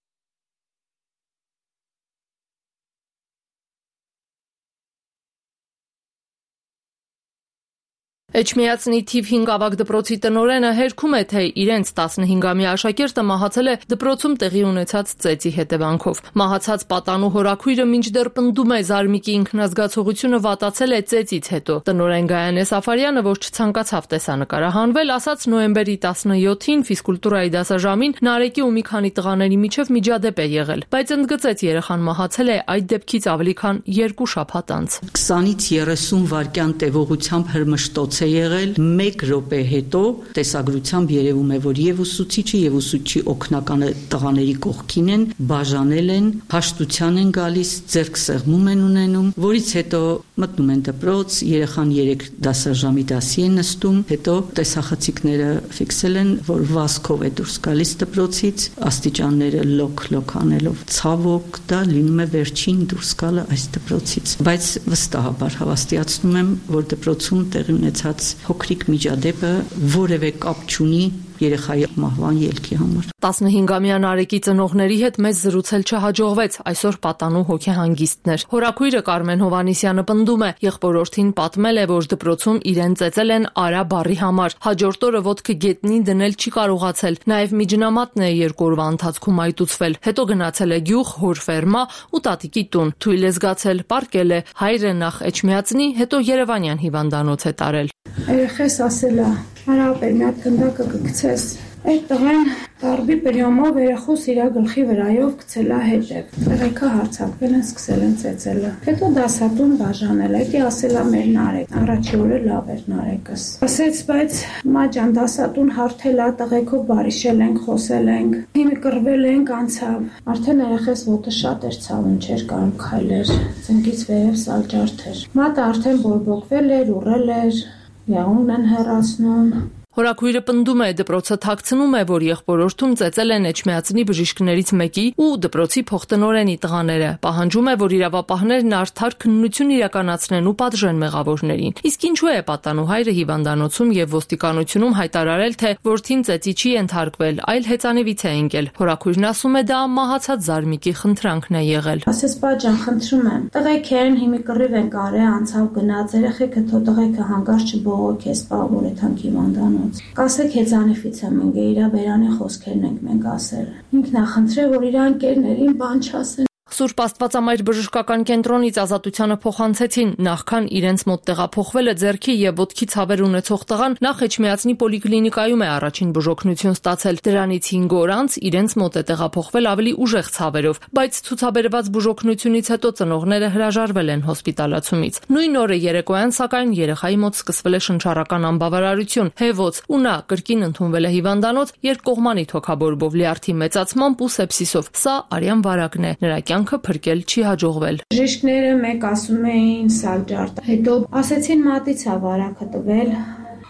Q: Էջմիածնի թիվ 5 ավագ դպրոցի տնօրենը հերքում է, թե իրենց 15-ամյա աշակերտը մահացել է դպրոցում տեղի ունեցած ծեծի հետևանքով։ Մահացած պատանու հորաքույրը մինչդեռ պնդում է Զարմիկի ինքնազգացողությունը վատացել է ծեծից հետո։ Տնօրեն Գայանե Սաֆարյանը, որ չցանկացավ տեսանկարահանվել, ասաց նոյեմբերի 17-ին ֆիզկուլտուրայի դասաժամին Նարեկի ու մի քանի տղաների միջև միջադեպ է եղել, բայց ընդգծեց երեխան մահացել է այդ դեպքից ավելի քան 2 շաբաթ անց։
U: 20-ից 30 վայրկյան տևողությամբ հրմշտոց եղել 1 րոպե հետո տեսագրությամբ երևում է, որ եւ ուսուցիչը եւ ուսուցչի օգնականը տղաների կողքին են, բաժանել են, հաշտության են գալիս, ձեռք սեղմում են ունենում, որից հետո մտնում են դպրոց, երեխան 3 դասաժամի դասի են նստում, հետո տեսախցիկները ֆիքսել են, որ վազքով է դուրս գալիս դպրոցից, աստիճանները լոկ անելով, ցավոք դա լինում է վերջին դուրս գալը այս դպրոցից, բայց վստահաբար հավաստիացնում եմ, որ դպրոցում տեղի ունեցած փոքրիկ միջադեպը որևէ կապ չունի երեխայի մահվան ելքի համար։
Q: 15-ամյա Նարեկի ծնողների հետ մեզ զրուցել չհաջողվեց, այսօր պատանու հոգեհանգիստներ։ Հորաքույրը Կարմեն Հովանիսյանը պնդում է, եղբորորդին պատմել է, որ դպրոցում իրեն ծեծել են Արա բառի համար։ Հաջորդ օրը ոտքը գետնին դնել չի կարողացել, նաև միջնամատն է 2 օրվա ընթացքում այտուցվել։ Հետո գնացել է գյուղ, հոր ֆերմա ու տատիկի տուն, թույլ է զգացել, պարկել է, հայրը նախ Էջմիածնի, հետո Երևանյան հիվանդանոց է տարել։
V: Երեխես ասել է, արա ապեր մի հատ գնդակը կգցես, այդ տղեն տարբի պրյոմով երեխուս իրա գլխի վրայով գցել է հետև, տղեկը հարցակվել են, սկսել են ծեծելը, հետո դասատուն բաժանել, այդի ասել է մեր Նարեկ, առաջի օրը լավ էր Նարեկս, ասեց, բայց մաջան դասատուն հարթել է, տղեկով բարիշել ենք, խոսել ենք, հիմի կռվել ենք, անցավ, արդեն երեխես ոտը շատ էր ցավում, չէր կարող քայլեր, ծնկից վերև սալջարդ էր, մատը արդեն բորբոքվել էր, ուռել էր, եղունգն են հեռացնում։
Q: Հորաքույրը պնդում է, դպրոցը թաքցնում է, որ եղբորորդում ծեծել են Էջմիածնի բժիշկներից մեկի ու դպրոցի փոխտնօրենի տղաները։ Պահանջում է, որ իրավապահներն արդար քննություն իրականացնեն ու պատժեն մեղավորներին։ Իսկ ինչու է պատանու հայրը հիվանդանոցում եւ ոստիկանությունում հայտարարել, թե որդին ծեծի չի ենթարկվել, այլ հեծանիվից է ընկել։ Հորաքույրն ասում է, դա մահացած Զարմիկի խնդրանքն է եղել։
V: Ասես բաժան, խնդրում եմ, տղեկ են հիմի կռիվ են կարե անցավ գնաց, երեխեքը թո տղեկը հանգարց չբողոք է սպավոր է թանկ հիվանդանոց։ Կասեք հեծանիվից եմ ընկել, իրա բերանի խոսքերն ենք մենք ասել։ Ինքն է խնդրել, որ իր ընկերներին բան չասեն։
Q: Սուրբ Աստվածամայր բժշկական կենտրոնից Ազատությանը փոխանցեցին, նախքան իրենց մոտ տեղափոխվելը ձեռքի եւ ոտքի ցավեր ունեցող տղան նախ Էջմիածնի պոլիկլինիկայում է առաջին բուժօգնություն ստացել։ Դրանից 5 օր անց իրենց մոտ է տեղափոխվել ավելի ուժեղ ցավերով, բայց ցուցաբերված բուժօգնությունից հետո ծնողները հրաժարվել են հոսպիտալացումից։ Նույն օրը երեկոյան սակայն երեխայի մոտ սկսվել է շնչառական անբավարարություն, հեվոց, ու նա կրկին ընդունվել է հիվանդանոց երկկողմանի թոքաբորբով, լյարդի մեծացմամբ ու սեպսիսով։ Սա արյան վարակն է, նրա կյանքը փրկել չի հաջողվել։
V: Բժիշկները մեկ ասում էին սալջարդ, հետո ասեցին մատից է վարակը տվել։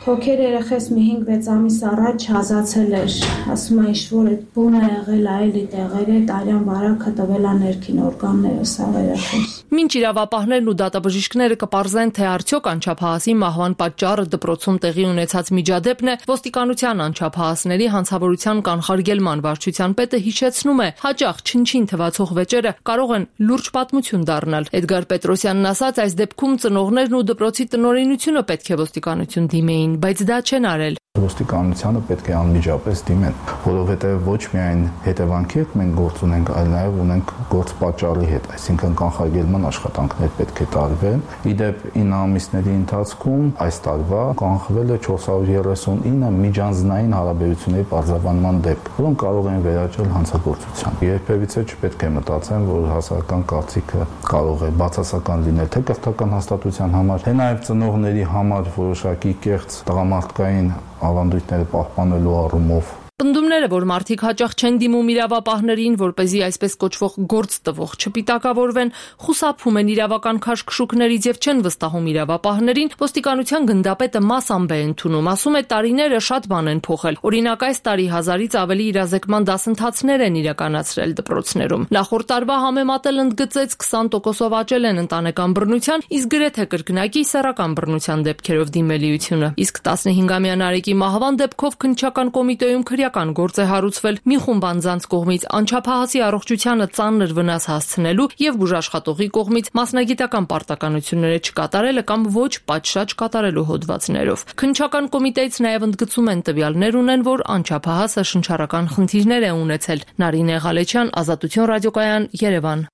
V: Թոքեր երեխես մի 5-6 ամիս առաջ հազացել էր, ասում է ինչ-որ այդ բունը եղել է, էլի տեղերը, արյան վարակը տվել է ներքին օրգանները, սա երեխես։
Q: Մինչ իրավապահներն ու դատաբժիշկները կպարզեն, թե արդյոք անչափահասի մահվան պատճառը դպրոցում տեղի ունեցած միջադեպն է, ոստիկանության անչափահասների հանցավորության կանխարգելման վարչության պետը հիշեցնում է, հաճախ չնչին թվացող վեճերը կարող են լուրջ պատմություն դառնալ։ Էդգար Պետրոսյանն ասաց, այս դեպքում ծնողներն ու դպրոցի տնօրինությունը պետք է ոստիկանություն դիմեին, բայց դա չեն արել։
B: Ոստիկանությանը պետք է անմիջապես դիմեն, որովհետև ոչ միայն հետևանքի հետ մենք գործ ունենք, այլ նաև ունենք գործ պատճառի հետ, այսինքն կանխարգելման աշխատանքներ պետք է տարվեն։ Իդեպ 9 ամիսների ընթացքում այս տարվա կանխվել է 439 միջանձնային հարաբերությունների պարզաբանման դեպք, որոնք կարող են վերաճել հանցագործության։ Երբևիցե չպետք է մտածեն, որ հասարակական կարծիքը կարող է բացասական լինել թե կրթական հաստատության համար, թե նաև ծնողների համար որոշակի կեղծ տղամարդկային ավանդույթները պահպանելու առումով։
Q: Պնդումները, որ մարդիկ հաճախ չեն դիմում իրավապահներին, որպեսզի այսպես կոչվող գործ տվող չպիտակավորվեն, խուսափում են իրավական քաշքշուկներից եւ չեն վստահում իրավապահներին, ոստիկանության գնդապետը մասամբ է ընդունում, ասում է տարիները շատ բան են փոխել։ Օրինակ այս տարի 1000-ից ավելի իրազեկման դասընթացներ են իրականացրել դպրոցներում։ Նախորդ տարվա համեմատել ընդգծեց 20%-ով աճել են ընտանեկան բռնության, իսկ գրեթե կրկնակի սեռական բռնության դեպքերով դիմելիությունը։ Իսկ 15-ամյա Նարեկի մահվան դեպքով քննչական կոմիտեում քրեական գործ է հարուցվել մի խումբ անձանց կողմից անչափահասի առողջությանը ծանր վնաս հասցնելու եւ բուժաշխատողի կողմից մասնագիտական պարտականությունները չկատարելը կամ ոչ պատշաճ կատարելու հոդվածներով։ Քննչական կոմիտեից նաեւ ընդգծում են տվյալներ ունեն, որ անչափահասը շնչառական խնդիրներ է ունեցել։ Նարինե Ղալեչյան, Ազատություն ռադիոկայան, Երևան։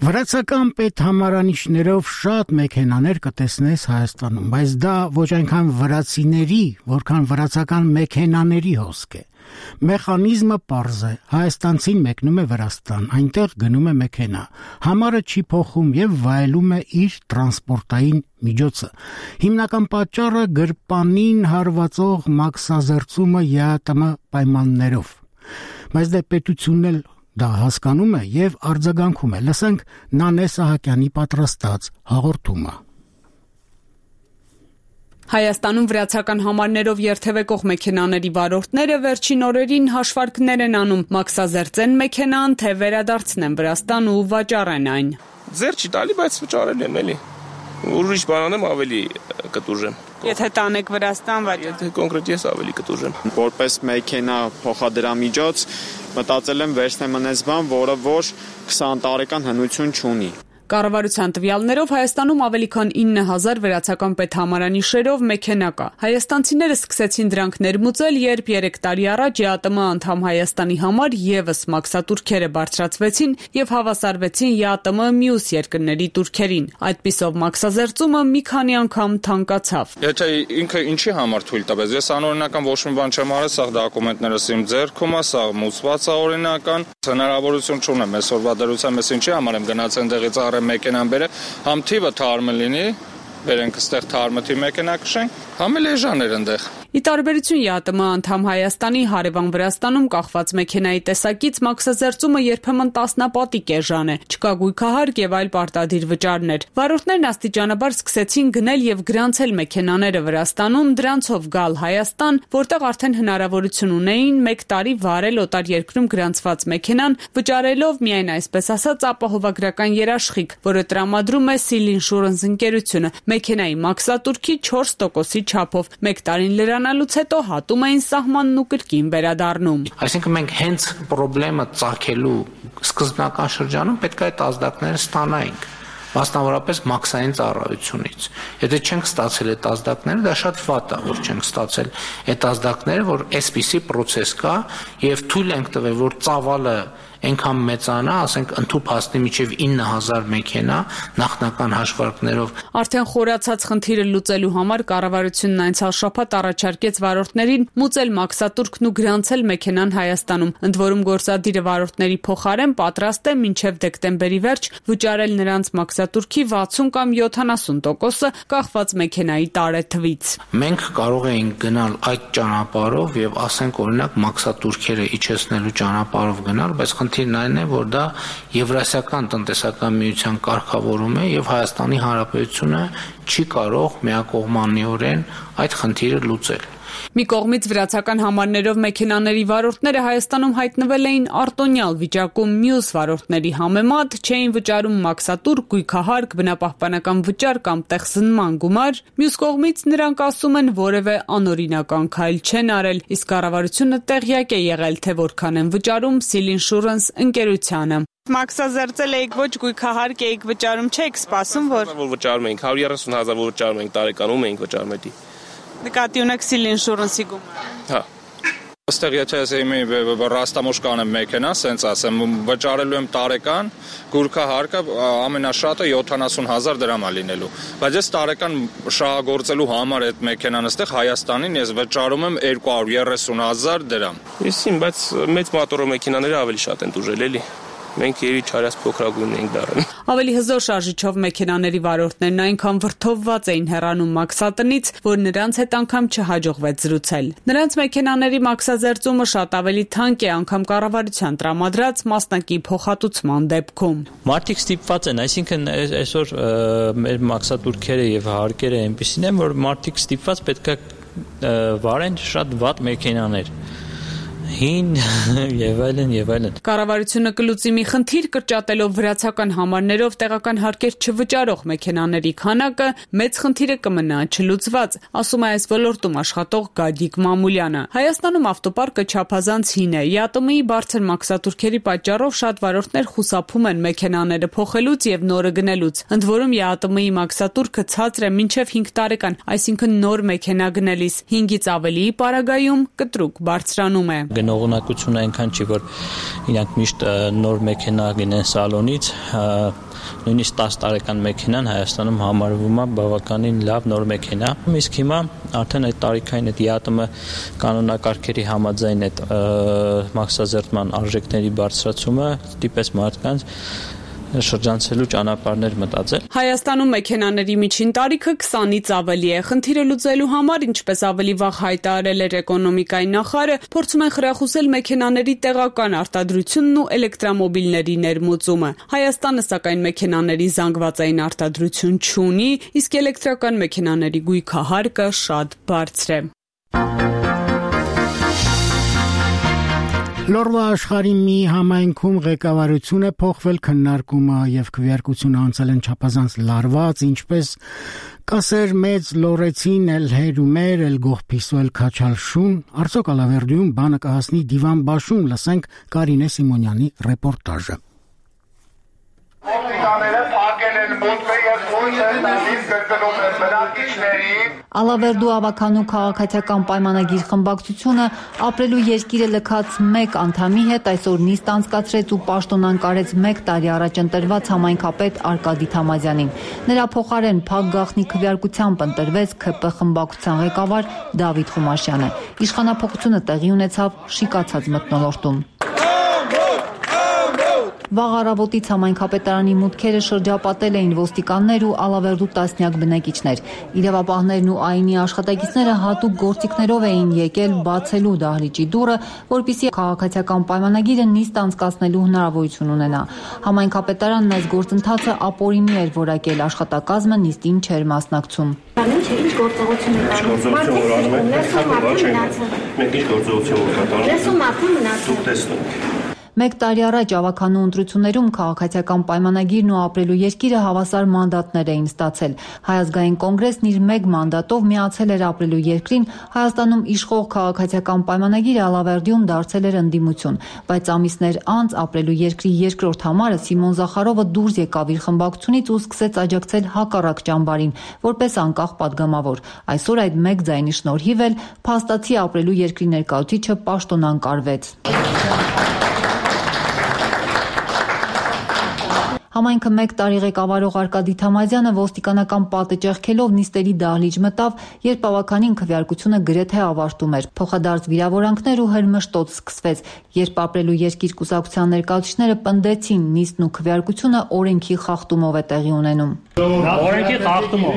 A: Վրացական պետհամարանիշներով շատ մեքենաներ կտեսնես Հայաստանում, բայց դա ոչ այնքան վրացիների, որքան վրացական մեքենաների հոսք է։ Մեխանիզմը պարզ է, հայաստանցին մեկնում է Վրաստան, այնտեղ գնում է մեքենա, համարը չի փոխում եւ վայելում է իր տրանսպորտային միջոցը։ Հիմնական պատճառը գրպանին հարվածող մաքսազերծումը ԵԱՏՄ պայմաններով։ Բայց դե պետությունն էլ դա հասկանում է եւ արձագանքում է։ Լսենք Նանե Սահակյանի պատրաստած հաղորդումը։
D: Հայաստանում վրացական համարներով երթևեկող մեքենաների վարորդները վերջին օրերին հաշվարկներ են անում, մաքսազերծեն մեքենան, թե վերադարձնեն Վրաստան ու վաճառեն այն։
W: Ձեր չի տալի, բայց վճարել եմ էլի։ Ուրիշ բան եմ ավելի կտուժեմ։
D: Եթե տանեք Վրաստան վաճառ։
W: Եթե կոնկրետ ես ավելի կտուժեմ։
X: Որպես մեքենա փոխադրամիջոց մտածել եմ վերցնեմ այնպես բան, որը որ 20 տարեկան հնություն չունի։
D: Կառավարության տվյալներով Հայաստանում ավելի քան 9000 վրացական պետհամարանիշերով մեքենա կա։ Հայաստանցիները սկսեցին դրանք ներմուծել, երբ 3 տարի առաջ ԵԱՏՄ անդամ Հայաստանի համար եւս մաքսատուրքերը բարձրացվեցին եւ հավասարվեցին ԵԱՏՄ մյուս երկրների տուրքերին։ Այդպիսով մաքսազերծումը մի քանի անգամ թանկացավ։
K: Եթե ինքը ինչի համար թույլ տվեց, ես անօրինական ոչ մի բան չեմ արել, սա դոկումենտներս իմ ձեռքում է, սա մուծված է օրինական։ Հնարավորություն չունեմ այսօրվա դրությամբ, ես ինչի համար եմ գնաց այնտեղից մեքենան բերը, համ թիվը թարմը լինի, վերենք ստեղ թարմը թիվ մեքենա կշենք, համ էլ էժան էր ընդեղ։
D: Ի տարբերություն ԵԱՏՄ անդամ Հայաստանի հարևան Վրաստանում կախված մեքենայի տեսակից մաքսազերծումը երբեմն տասնապատիկ էժան է, չկա գույքահարկ եւ այլ պարտադիր վճարներ։ Վարորդներն աստիճանաբար սկսեցին գնել եւ գրանցել մեքենաները Վրաստանում, դրանցով գալ Հայաստան, որտեղ արդեն հնարավորություն ունեին 1 տարի վարել օտար երկրում գրանցված մեքենան, վճարելով միայն այսպես ասած ապահովագրական երաշխիք, որը տրամադրում է Seal Insurance ընկերությունը, մեքենայի մաքսատուրքի 4%-ի չափով։ 1 տարին լրանալուց հետո հատում էին սահմանն ու կրկին վերադառնում։
C: Այսինքն մենք հենց խնդրումը ծագելու սկզբնական շրջանում պետք է այդ ազդակները ստանայինք, մասնավորապես մաքսային ծառայությունից։ Եթե չենք ստացել այդ ազդակները, դա շատ վատ է, որ չենք ստացել այդ ազդակները, որ այսպիսի process կա եւ թույլ ենք տվել, որ ծավալը այնքան մեծանա, ասենք ընդհուպ հասնի մինչև 9000 մեքենա նախնական հաշվարկներով։
D: Արդեն խորացած խնդիրը լուծելու համար կառավարությունն անցյալ շաբաթ առաջարկեց վարորդներին մուծել մաքսատուրքն ու գրանցել մեքենան Հայաստանում։ Ընդ որում գործադիրը վարորդների փոխարեն պատրաստ է մինչև դեկտեմբերի վերջ վճարել նրանց մաքսատուրքի 60 կամ 70%-ը կախված մեքենայի տարեթվից։
C: Մենք կարող էինք գնալ այդ ճանապարհով եւ ասենք օրինակ մաքսատուրքերը իջեցնելու ճանապարհով գնալ, բայց խնդիրն այն է, որ դա Եվրասիական տնտեսական միության կարգավորում է եւ Հայաստանի Հանրապետությունը չի կարող միակողմանիորեն այդ խնդիրը լուծել։
D: Մի կողմից վրացական համարներով մեքենաների վարորդները Հայաստանում հայտնվել էին արտոնյալ վիճակում, մյուս վարորդների համեմատ չէին վճարում մաքսատուր, գույքահարկ, բնապահպանական վճար կամ տեղսնման գումար, մյուս կողմից նրանք ասում են որևէ անօրինական քայլ չեն արել, իսկ կառավարությունը տեղյակ է եղել, թե որքան են վճարում Seal Insurance ընկերությանը։
F: Մաքսազերծել էիք ոչ գույքահարկ էիք վճարում, չեք սպասում, որ
W: վճարում էինք 130,000 որ վճարում էինք տարեկանում էինք վճարում էդի։
D: Նկատի ունեք Seal Insurance-ի գումարը։
W: Հա։
K: Այստեղ եթե ես ռաստամոշ կանեմ մեքենա, սենց ասեմ, վճարելու եմ տարեկան, գույքահարկը ամենաշատը 70,000 դրամ է լինելու։ Բայց ես տարեկան շահագործելու համար այդ մեքենան այստեղ Հայաստանին ես վճարում եմ 230,000 դրամ։
W: Իսին, բայց մեծ մոտորո մեքենաները ավելի շատ են դուժել, էլի։ Մենք երի չարած փոքրագույն ենք դառնում։
D: Ավելի հզոր շարժիչով մեքենաների վարորդներն այնքան վրդովված էին հեռանում մաքսատնից, որ նրանց հետ անգամ չհաջողվեց զրուցել։ Նրանց մեքենաների մաքսազերծումը շատ ավելի թանկ է, անգամ կառավարության տրամադրած մասնակի փոխհատուցման դեպքում։
G: Մարդիկ ստիպված են, այսինքն այսօր մեր մաքսատուրքերը եւ հարկերը այնպեսին են, որ մարդիկ ստիպված պետք է վարեն շատ վատ մեքենաներ։ Հին եւ այլն։
D: Կառավարությունը կլուծի մի խնդիր կրճատելով վրացական համարներով տեղական հարկեր չվճարող մեքենաների քանակը, մեծ խնդիրը կմնա չլուծված, ասում է այս ոլորտում աշխատող Գագիկ Մամուլյանը։ Հայաստանում ավտոպարկը չափազանց հին է։ ԵԱՏՄ-ի բարձր մաքսատուրքերի պատճառով շատ վարորդներ խուսափում են մեքենաները փոխելուց եւ նորը գնելուց։ Ընդ որում ԵԱՏՄ-ի մաքսատուրքը ցածր է մինչև 5 տարեկան, այսինքն նոր մեքենա գնելիս 5-ից ավելիի պարագայում կտրուկ բարձրանում է։
G: Գնողունակությունը այնքան չի, որ իրանք միշտ նոր մեքենա գնեն սալոնից, նույնիսկ 10 տարեկան մեքենան Հայաստանում համարվում է բավականին լավ նոր մեքենա։ Իսկ հիմա արդեն այդ տարիքային այդ ԵԱՏՄ կանոնակարգերի համաձայն այդ մաքսազերծման արժեքների բարձրացումը ստիպեց մարդկանց շրջանցելու ճանապարհներ մտածել։
D: Հայաստանում մեքենաների միջին տարիքը 20-ից ավելի է։ Խնդիրը լուծելու համար, ինչպես ավելի վաղ հայտարարել էր էկոնոմիկայի նախարարը, փորձում են խրախուսել մեքենաների տեղական արտադրությունն ու էլեկտրամոբիլների ներմուծումը։ Հայաստանը սակայն մեքենաների զանգվածային արտադրություն չունի, իսկ էլեկտրական մեքենաների գույքահարկը շատ բարձր է։
A: Լորվա աշխարհի մի համայնքում ղեկավարություն է փոխվել, քննարկումը եւ քվեարկությունը անցել են չափազանց լարված, ինչպես կասեր մեծ լորեցին էլ հերումեր էլ գողփիսոել քաչալշուն, Արցոք Ալավերդիում բանը կհասնի դիվան բաշում, լսենք Կարինե Սիմոնյանի ռեպորտաժը։
J: Ալավերդու ավականու քաղաքացիական պայմանագիր խմբակցությունը ապրելու երկիրը լքած 1 անդամի հետ այսօր նիստ անցկացրեց ու պաշտոնանկարեց 1 տարի առաջ ընտրված համայնքապետ Արկադի Թամազյանին։ Նրա փոխարեն փակ գաղտնի քվեարկությամբ ընտրվեց ՔՊ խմբակցության ղեկավար Դավիթ Խումաշյանը։ Իշխանափոխությունը տեղի ունեցավ շիկացած մթնոլորտում։ Վաղ առավոտից համայնքապետարանի մուտքերը շրջապատել էին ոստիկաններ ու Ալավերդու տասնյակ բնակիչներ։ Իրավապահներն ու ԱԻՆ-ի աշխատակիցները հատուկ գործիքներով էին եկել բացելու դահլիճի դուռը, որպեսզի քաղաքացիական պայմանագիրը նիստ անցկացնելու հնարավորություն ունենա։ Համայնքապետարանն այս գործընթացը ապօրինի էր որակել, աշխատակազմը նիստին չէր մասնակցում։
H: Ինչ գործողություն եք անում։ Մենք ինչ գործողություն եք կատարում։ Լսում մարդու մնացում։
J: 1 տարի առաջ ավականու ընտրություններում քաղաքացիական պայմանագիրն ու ապրելու երկիրը հավասար մանդատներ էին ստացել։ Հայ ազգային կոնգրեսն իր 1 մանդատով միացել էր ապրելու երկրին, Հայաստանում իշխող քաղաքացիական պայմանագիրը Ալավերդիում դարձել էր ընդդիմություն, բայց ամիսներ անց ապրելու երկրի երկրորդ համարը Սիմոն Զախարովը դուրս եկավ իր խմբակցությունից ու սկսեց աջակցել հակառակ ճամբարին, որպես անկախ падգամավոր։ Այսօր այդ 1 ձայնի շնորհիվ էլ փաստացի ապրելու երկրի ներկայացուցիչը պաշտոնանկարվեց։ Համայնքը 1 տարի ղեկավարող Արկադի Թամազյանը ոստիկանական պատը ճեղքելով նիստերի դահլիճ մտավ, երբ ավականին քվեարկությունը գրեթե ավարտում էր։ Փոխադարձ վիրավորանքներ ու հրմշտոց սկսվեց, երբ ապրելու երկիր կուսակցության ներկայացուցիչները պնդեցին նիստն ու քվեարկությունը օրենքի խախտումով է տեղի ունենում։
I: Օրենքի խախտումով։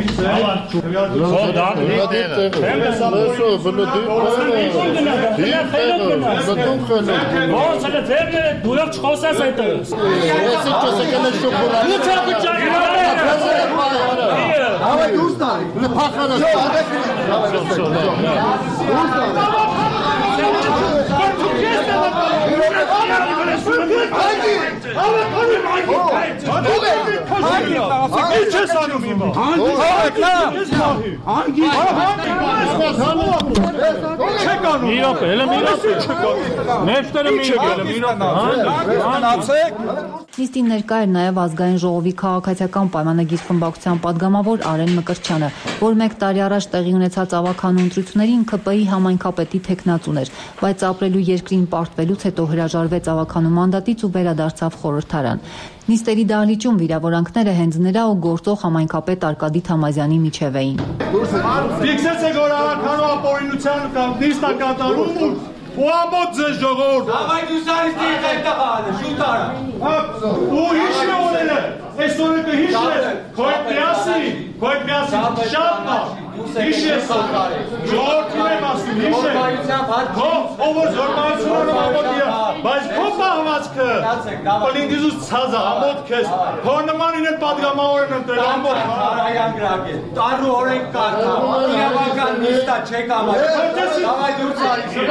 J: Նիստին ներկա էր նաև ազգային ժողովի քաղաքացիական պայմանագիր խմբակցության падգամավոր Արեն Մկրտչյանը, որ 1 տարի առաջ տեղի ունեցած ավականու ընտրություններին ԿՊ-ի համայնքապետի թեկնածուն էր, բայց ապրելու երկրին պարտվելուց հետո հրաժարվեց ավականու մանդատից ու վերադարձավ խորհրդարան։ Նիստերի դահլիճում վիրավորանքները հենց նրա ու գործող համայնքապետ Արկադի Թամազյանի միջև էին։
L: Ֆիքսեցեք, որ ավականու ապօրինության կամ նիստը կատարում ու ամբողջ ձեզ ժողովուրդ։ Давай դուսարիստի այդտեղ ալը, շուտ արա։ Ու հիշի օրերը, այս օրը կհիշես, քոյ պիասի, շատ նա, հիշես օրը, ժողորդին եմ ասում, հիշես, ով որ զորմայությունները ամոտ բայց քո պահվածքը, պլինգիզուս ցազա, ամոտ կես, քո նմանին էլ պատգամավոր են ընտրել, ամոտ։
N: Հարայան գրակ է, տարու օրենք կարդա, իրավական նիստա չեք ամաչի, davay դուսարիստի։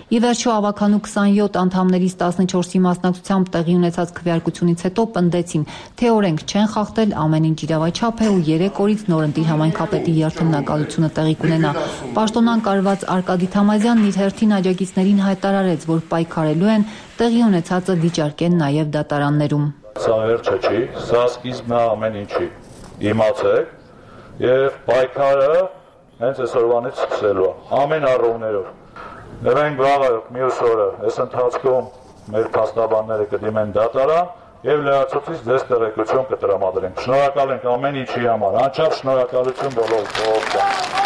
J: Ի վերջո ավականու 27 անդամներից 14-ի մասնակցությամբ տեղի ունեցած քվեարկությունից հետո պնդեցին, թե օրենք չեն խախտել, ամեն ինչ իրավաչափ է ու 3 օրից նորընտիր համայնքապետի երթմնակալությունը տեղի կունենա։ Պաշտոնանկարված Արկադի Թամազյանն իր հերթին աջակիցներին հայտարարեց, որ պայքարելու են, տեղի ունեցածը վիճարկեն նաև դատարաններում։
Y: Սա վերջը չի, սա սկիզբն է ամեն ինչի։ Իմացեք եւ պայքարը հենց այսօրվանից սկսելու է, ամեն առումներով։ Մենք վաղը մյուս օրը այս ընթացքում մեր փաստաբանները կդիմեն դատարան եւ լրացուցիչ ձեզ տեղեկություն կտրամադրենք։ Շնորհակալ ենք ամեն ինչի համար, անչափ շնորհակալություն բոլորին։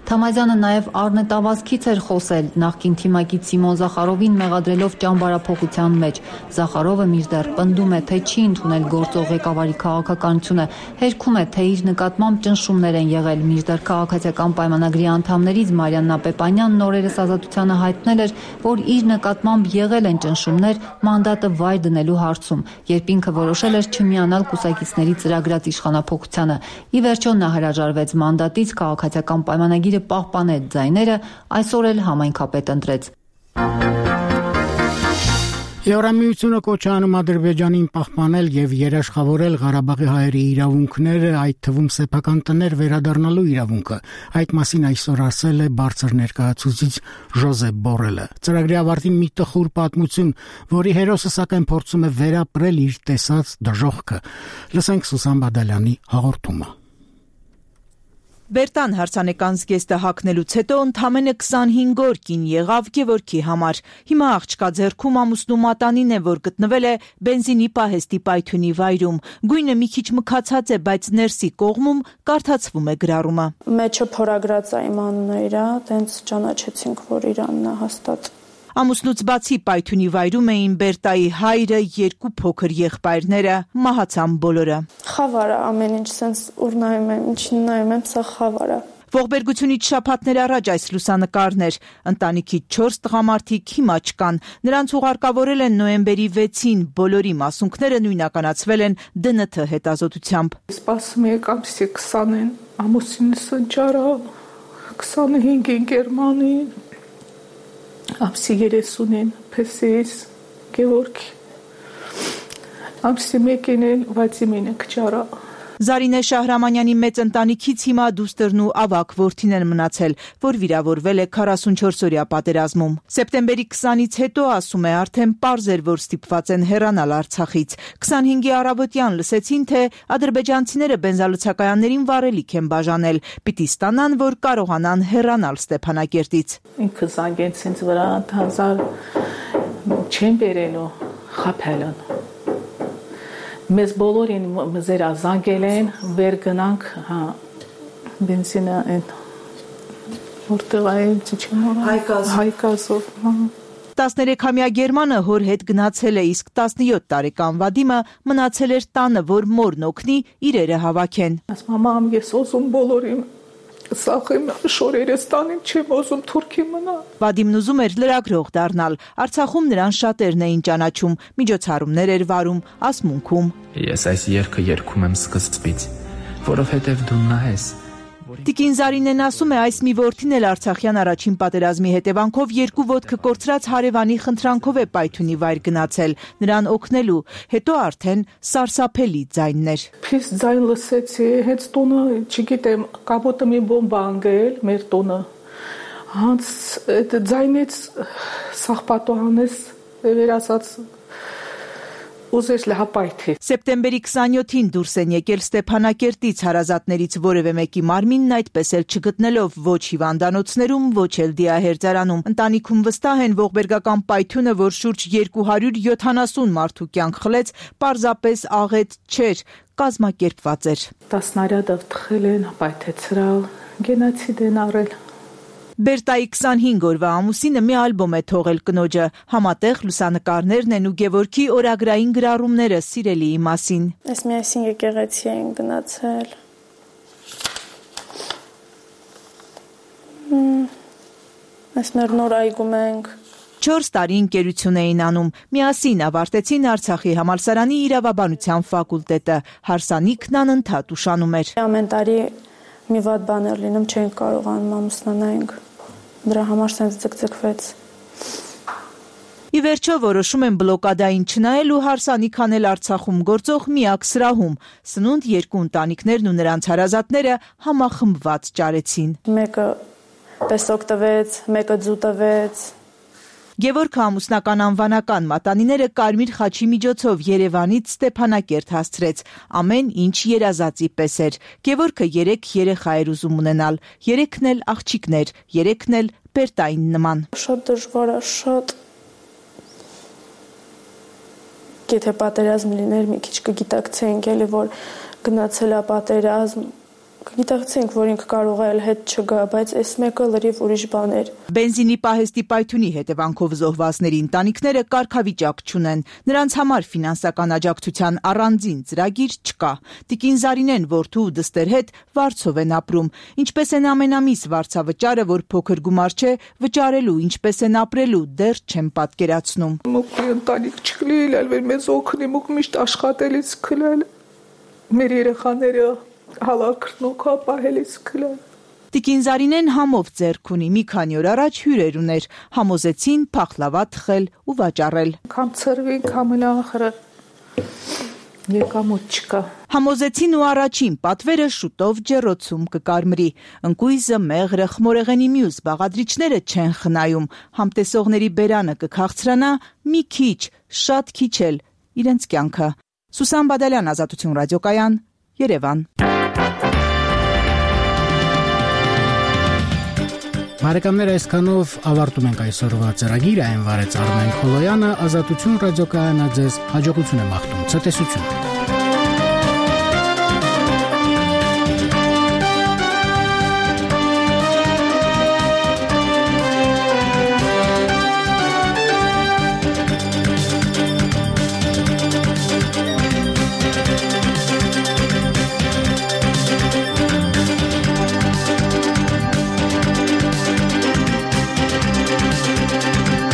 J: Թամազյանը նաև առնետավազքից էր խոսել նախկին թիմակից Սիմոն Զախարովին մեղադրելով ճամբարափոխության մեջ։ Զախարովը մինչդեռ պնդում է, թե չի ընդունել գործող ղեկավարի քաղաքականությունը, հերքում է, թե իր նկատմամբ ճնշումներ են եղել, մինչդեռ քաղաքացիական պայմանագրի անդամներից Մարիաննա Պեպանյանն օրերս Ազատությանը հայտնել էր, որ իր նկատմամբ եղել են ճնշումներ մանդատը վայր դնելու հարցում, երբ ինքը որոշել էր չմիանալ կուսակիցների ծրագրած իշխանափոխությանը։ Ի վերջո նա հրաժարվեց մանդատից, քաղաքացիական պայմանագիրը պահպանեց ձայները, այսօր էլ համայնքապետ ընտրեց։
A: Եվրամիությունը կոչ է անում Ադրբեջանին պահպանել եւ երաշխավորել Ղարաբաղի հայերի իրավունքները, այդ թվում սեփական տներ վերադառնալու իրավունքը։ Այդ մասին այսօր ասել է բարձր ներկայացուցիչ Ժոզեփ Բորելը։ Ծրագրի ավարտին մի տխուր պատմություն, որի հերոսը սակայն փորձում է վերապրել իր տեսած դժոխքը։ Լսենք Սուսան Բադալյանի հաղորդումը։
E: Բերտան հարսանեկան զգեստը հագնելուց հետո ընդամենը 25 օր կին եղավ Գևորգի համար։ Հիմա աղջկա ձեռքում ամուսնու մատանին է, որ գտնվել է բենզինի պահեստի պայթյունի վայրում։ Գույնը մի քիչ մքացած է, բայց ներսի կողմում կարդացվում է գրառումը։
M: Մեջը փորագրած է իմ անունը իրա, տենց ճանաչեցինք, որ իրանն է հաստատ։
E: Ամուսնուց բացի պայթյունի վայրում էին Բերտայի հայրը, 2 փոքր եղբայրները, մահացան բոլորը։
M: Խավար է ամեն ինչ, սենց ուր նայում եմ, ինչին նայում եմ, սա խավար է։
E: Ողբերգությունից շաբաթներ առաջ այս լուսանկարներ, ընտանիքի 4 տղամարդիկ հիմա չկան, նրանց ուղարկավորել են նոյեմբերի 6-ին, բոլորի մասունքները նույնականացվել են ԴՆԹ հետազոտությամբ։
O: Սպասում եք ամսի 20-ին, ամուսինս ընճարավ, 25-ին Գերմանիին, ամսի 30-ին Փեսիս Գևորգ, ամսի 1-ին Վադիմին ընճարա։
E: Զարինե Շահրամանյանի մեծ ընտանիքից հիմա դուստերն ու ավագ որդին են մնացել, որ վիրավորվել է 44-օրյա պատերազմում։ Սեպտեմբերի 20-ից հետո, ասում է, արդեն պարզ էր, որ ստիպված են հեռանալ Արցախից։ 25-ի առավոտյան լսեցին, թե ադրբեջանցիները բենզալցակայաններին վառելիք են բաժանել, պիտի ստանան, որ կարողանան հեռանալ Ստեփանակերտից։
O: Ինքը զանգեց ինձ վրա, հազար չեն բերելու, խաբել են։ Մեզ բոլորին մզերա զանգել են, վեր գնանք, բենզինը են, որտեղ այն չիչեմ հայկազով։
E: 13-ամյա Գերմանը հոր հետ գնացել է, իսկ 17 տարեկան Վադիմը մնացել էր տանը, որ մորն օգնի իրերը հավաքեն։
O: Մամամ, ես ուզում բոլորին սախեմ շորերս տանեմ, չեմ ուզում Թուրքի մնա։
E: Վադիմն ուզում էր լրագրող դառնալ։ Արցախում նրան շատերն էին ճանաչում, միջոցառումներ էր վարում, ասմունքում։
R: Ես այս երգը երգում եմ սկզբից, որովհետև դու նա ես։
E: Տիկին Զարինեն ասում է, այս մի որդին էլ Արցախյան առաջին պատերազմի հետևանքով 2 ոտքը կորցրած հարևանի խնդրանքով է պայթյունի վայր գնացել, նրան օգնելու, հետո արդեն սարսափելի ձայններ։
O: Փիս ձայն լսեցի, հենց տունը, չգիտեմ, կապոտը մի բոմբա անգել մեր տունը։ Հանց այդ ձայնից սաղպատոհանես վերասած ուզես լհապայթի։
E: Սեպտեմբերի 27-ին դուրս են եկել Ստեփանակերտից, հարազատներից որևէ մեկի մարմինն այդպես էլ չգտնելով ոչ հիվանդանոցներում, ոչ էլ դիահերձարանում։ Ընտանիքում վստահ են, ողբերգական պայթյունը, որ շուրջ 270 մարդու կյանք խլեց, պարզապես աղետ չէր, կազմակերպված էր։
O: 10 նարյադով թխել են, պայթեցրալ, գենոցիդ են արել։
E: Բերտայի 25 օրվա ամուսինը մի ալբոմ է թողել կնոջը, համատեղ լուսանկարներն են ու Գևորգի օրագրային գրառումները սիրելիի մասին։
M: Այս միասին եկեղեցի են գնացել։ Այս մեր նոր այգում ենք։
E: 4 տարի ընկերություն էին անում, միասին ավարտեցին Արցախի համալսարանի իրավաբանության ֆակուլտետը, հարսանիքն անընդհատ ուշանում էր։
M: Ամեն տարի մի վատ բան էր լինում, չենք կարողանում ամուսնանանք, դրա համար սենց ձգձգվեց։
E: Ի վերջո որոշում են բլոկադային չնայել ու հարսանիք անել Արցախում գործող միակ սրահում, սնունդ 2 ընտանիքներն ու նրանց հարազատները համախմբված ճարեցին։
M: Մեկը պեսոկ տվեց, մեկը ձու տվեց։
E: Գևորգը ամուսնական անվանական մատանիները Կարմիր խաչի միջոցով Երևանից Ստեփանակերտ հասցրեց, ամեն ինչ երազածի պես էր։ Գևորգը 3 երեխա էր ուզում ունենալ, 3-ն էլ աղջիկներ, 3-ն էլ Բերտային նման։
M: Շատ դժվար է, շատ։ Եթե պատերազմ լիներ, մի քիչ կգիտակցեինք էլի, որ գնացել է պատերազմ, կգիտակցենք, որ ինքը կարող է հետ չգա, բայց այս մեկը լրիվ ուրիշ բան էր։
E: Բենզինի պահեստի պայթյունի հետևանքով զոհվածների ընտանիքները կարգավիճակ չունեն, նրանց համար ֆինանսական աջակցության առանձին ծրագիր չկա։ Տիկին Զարինեն որդու ու դստեր հետ Վարձով են ապրում, ինչպես են ամենամիս վարձավճարը, որ փոքր գումար չէ, վճարելու, ինչպես են ապրելու, դեռ չեն պատկերացնում։
O: Մոքի ընտանիք չկլիել, մեզ օգնի, մոք միշտ աշխատելից քլել, մեր երեխաները հալակրնոքա պահելից քլել։
E: Տիկին Զարինեն համով ձեռք ունի, մի քանի օր առաջ հյուրեր ուներ, համոզեցին փախլավա թխել ու վաճառել։
O: Կամ ծրվին, կամ ախրը եկամուտ չկա։
E: Համոզեցին ու առաջին պատվերը շուտով ջեռոցում կկարմրի։ Ընկույզը, մեղրը, խմորեղենի մյուս բաղադրիչները չեն խնայում։ Համտեսողների բերանը կքաղցրանա մի քիչ, շատ քիչ էլ իրենց կյանքը։ Սուսան Բադալյան, Ազատություն ռադիոկայան, Երևան։
A: Բարեկամներ, այսքանով ավարտում ենք այսօրվա ծրագիրը, այն վարեց Արմեն Խոլոյանը, Ազատություն ռադիոկայանը ձեզ հաջողություն է մաղթում, ցտեսություն։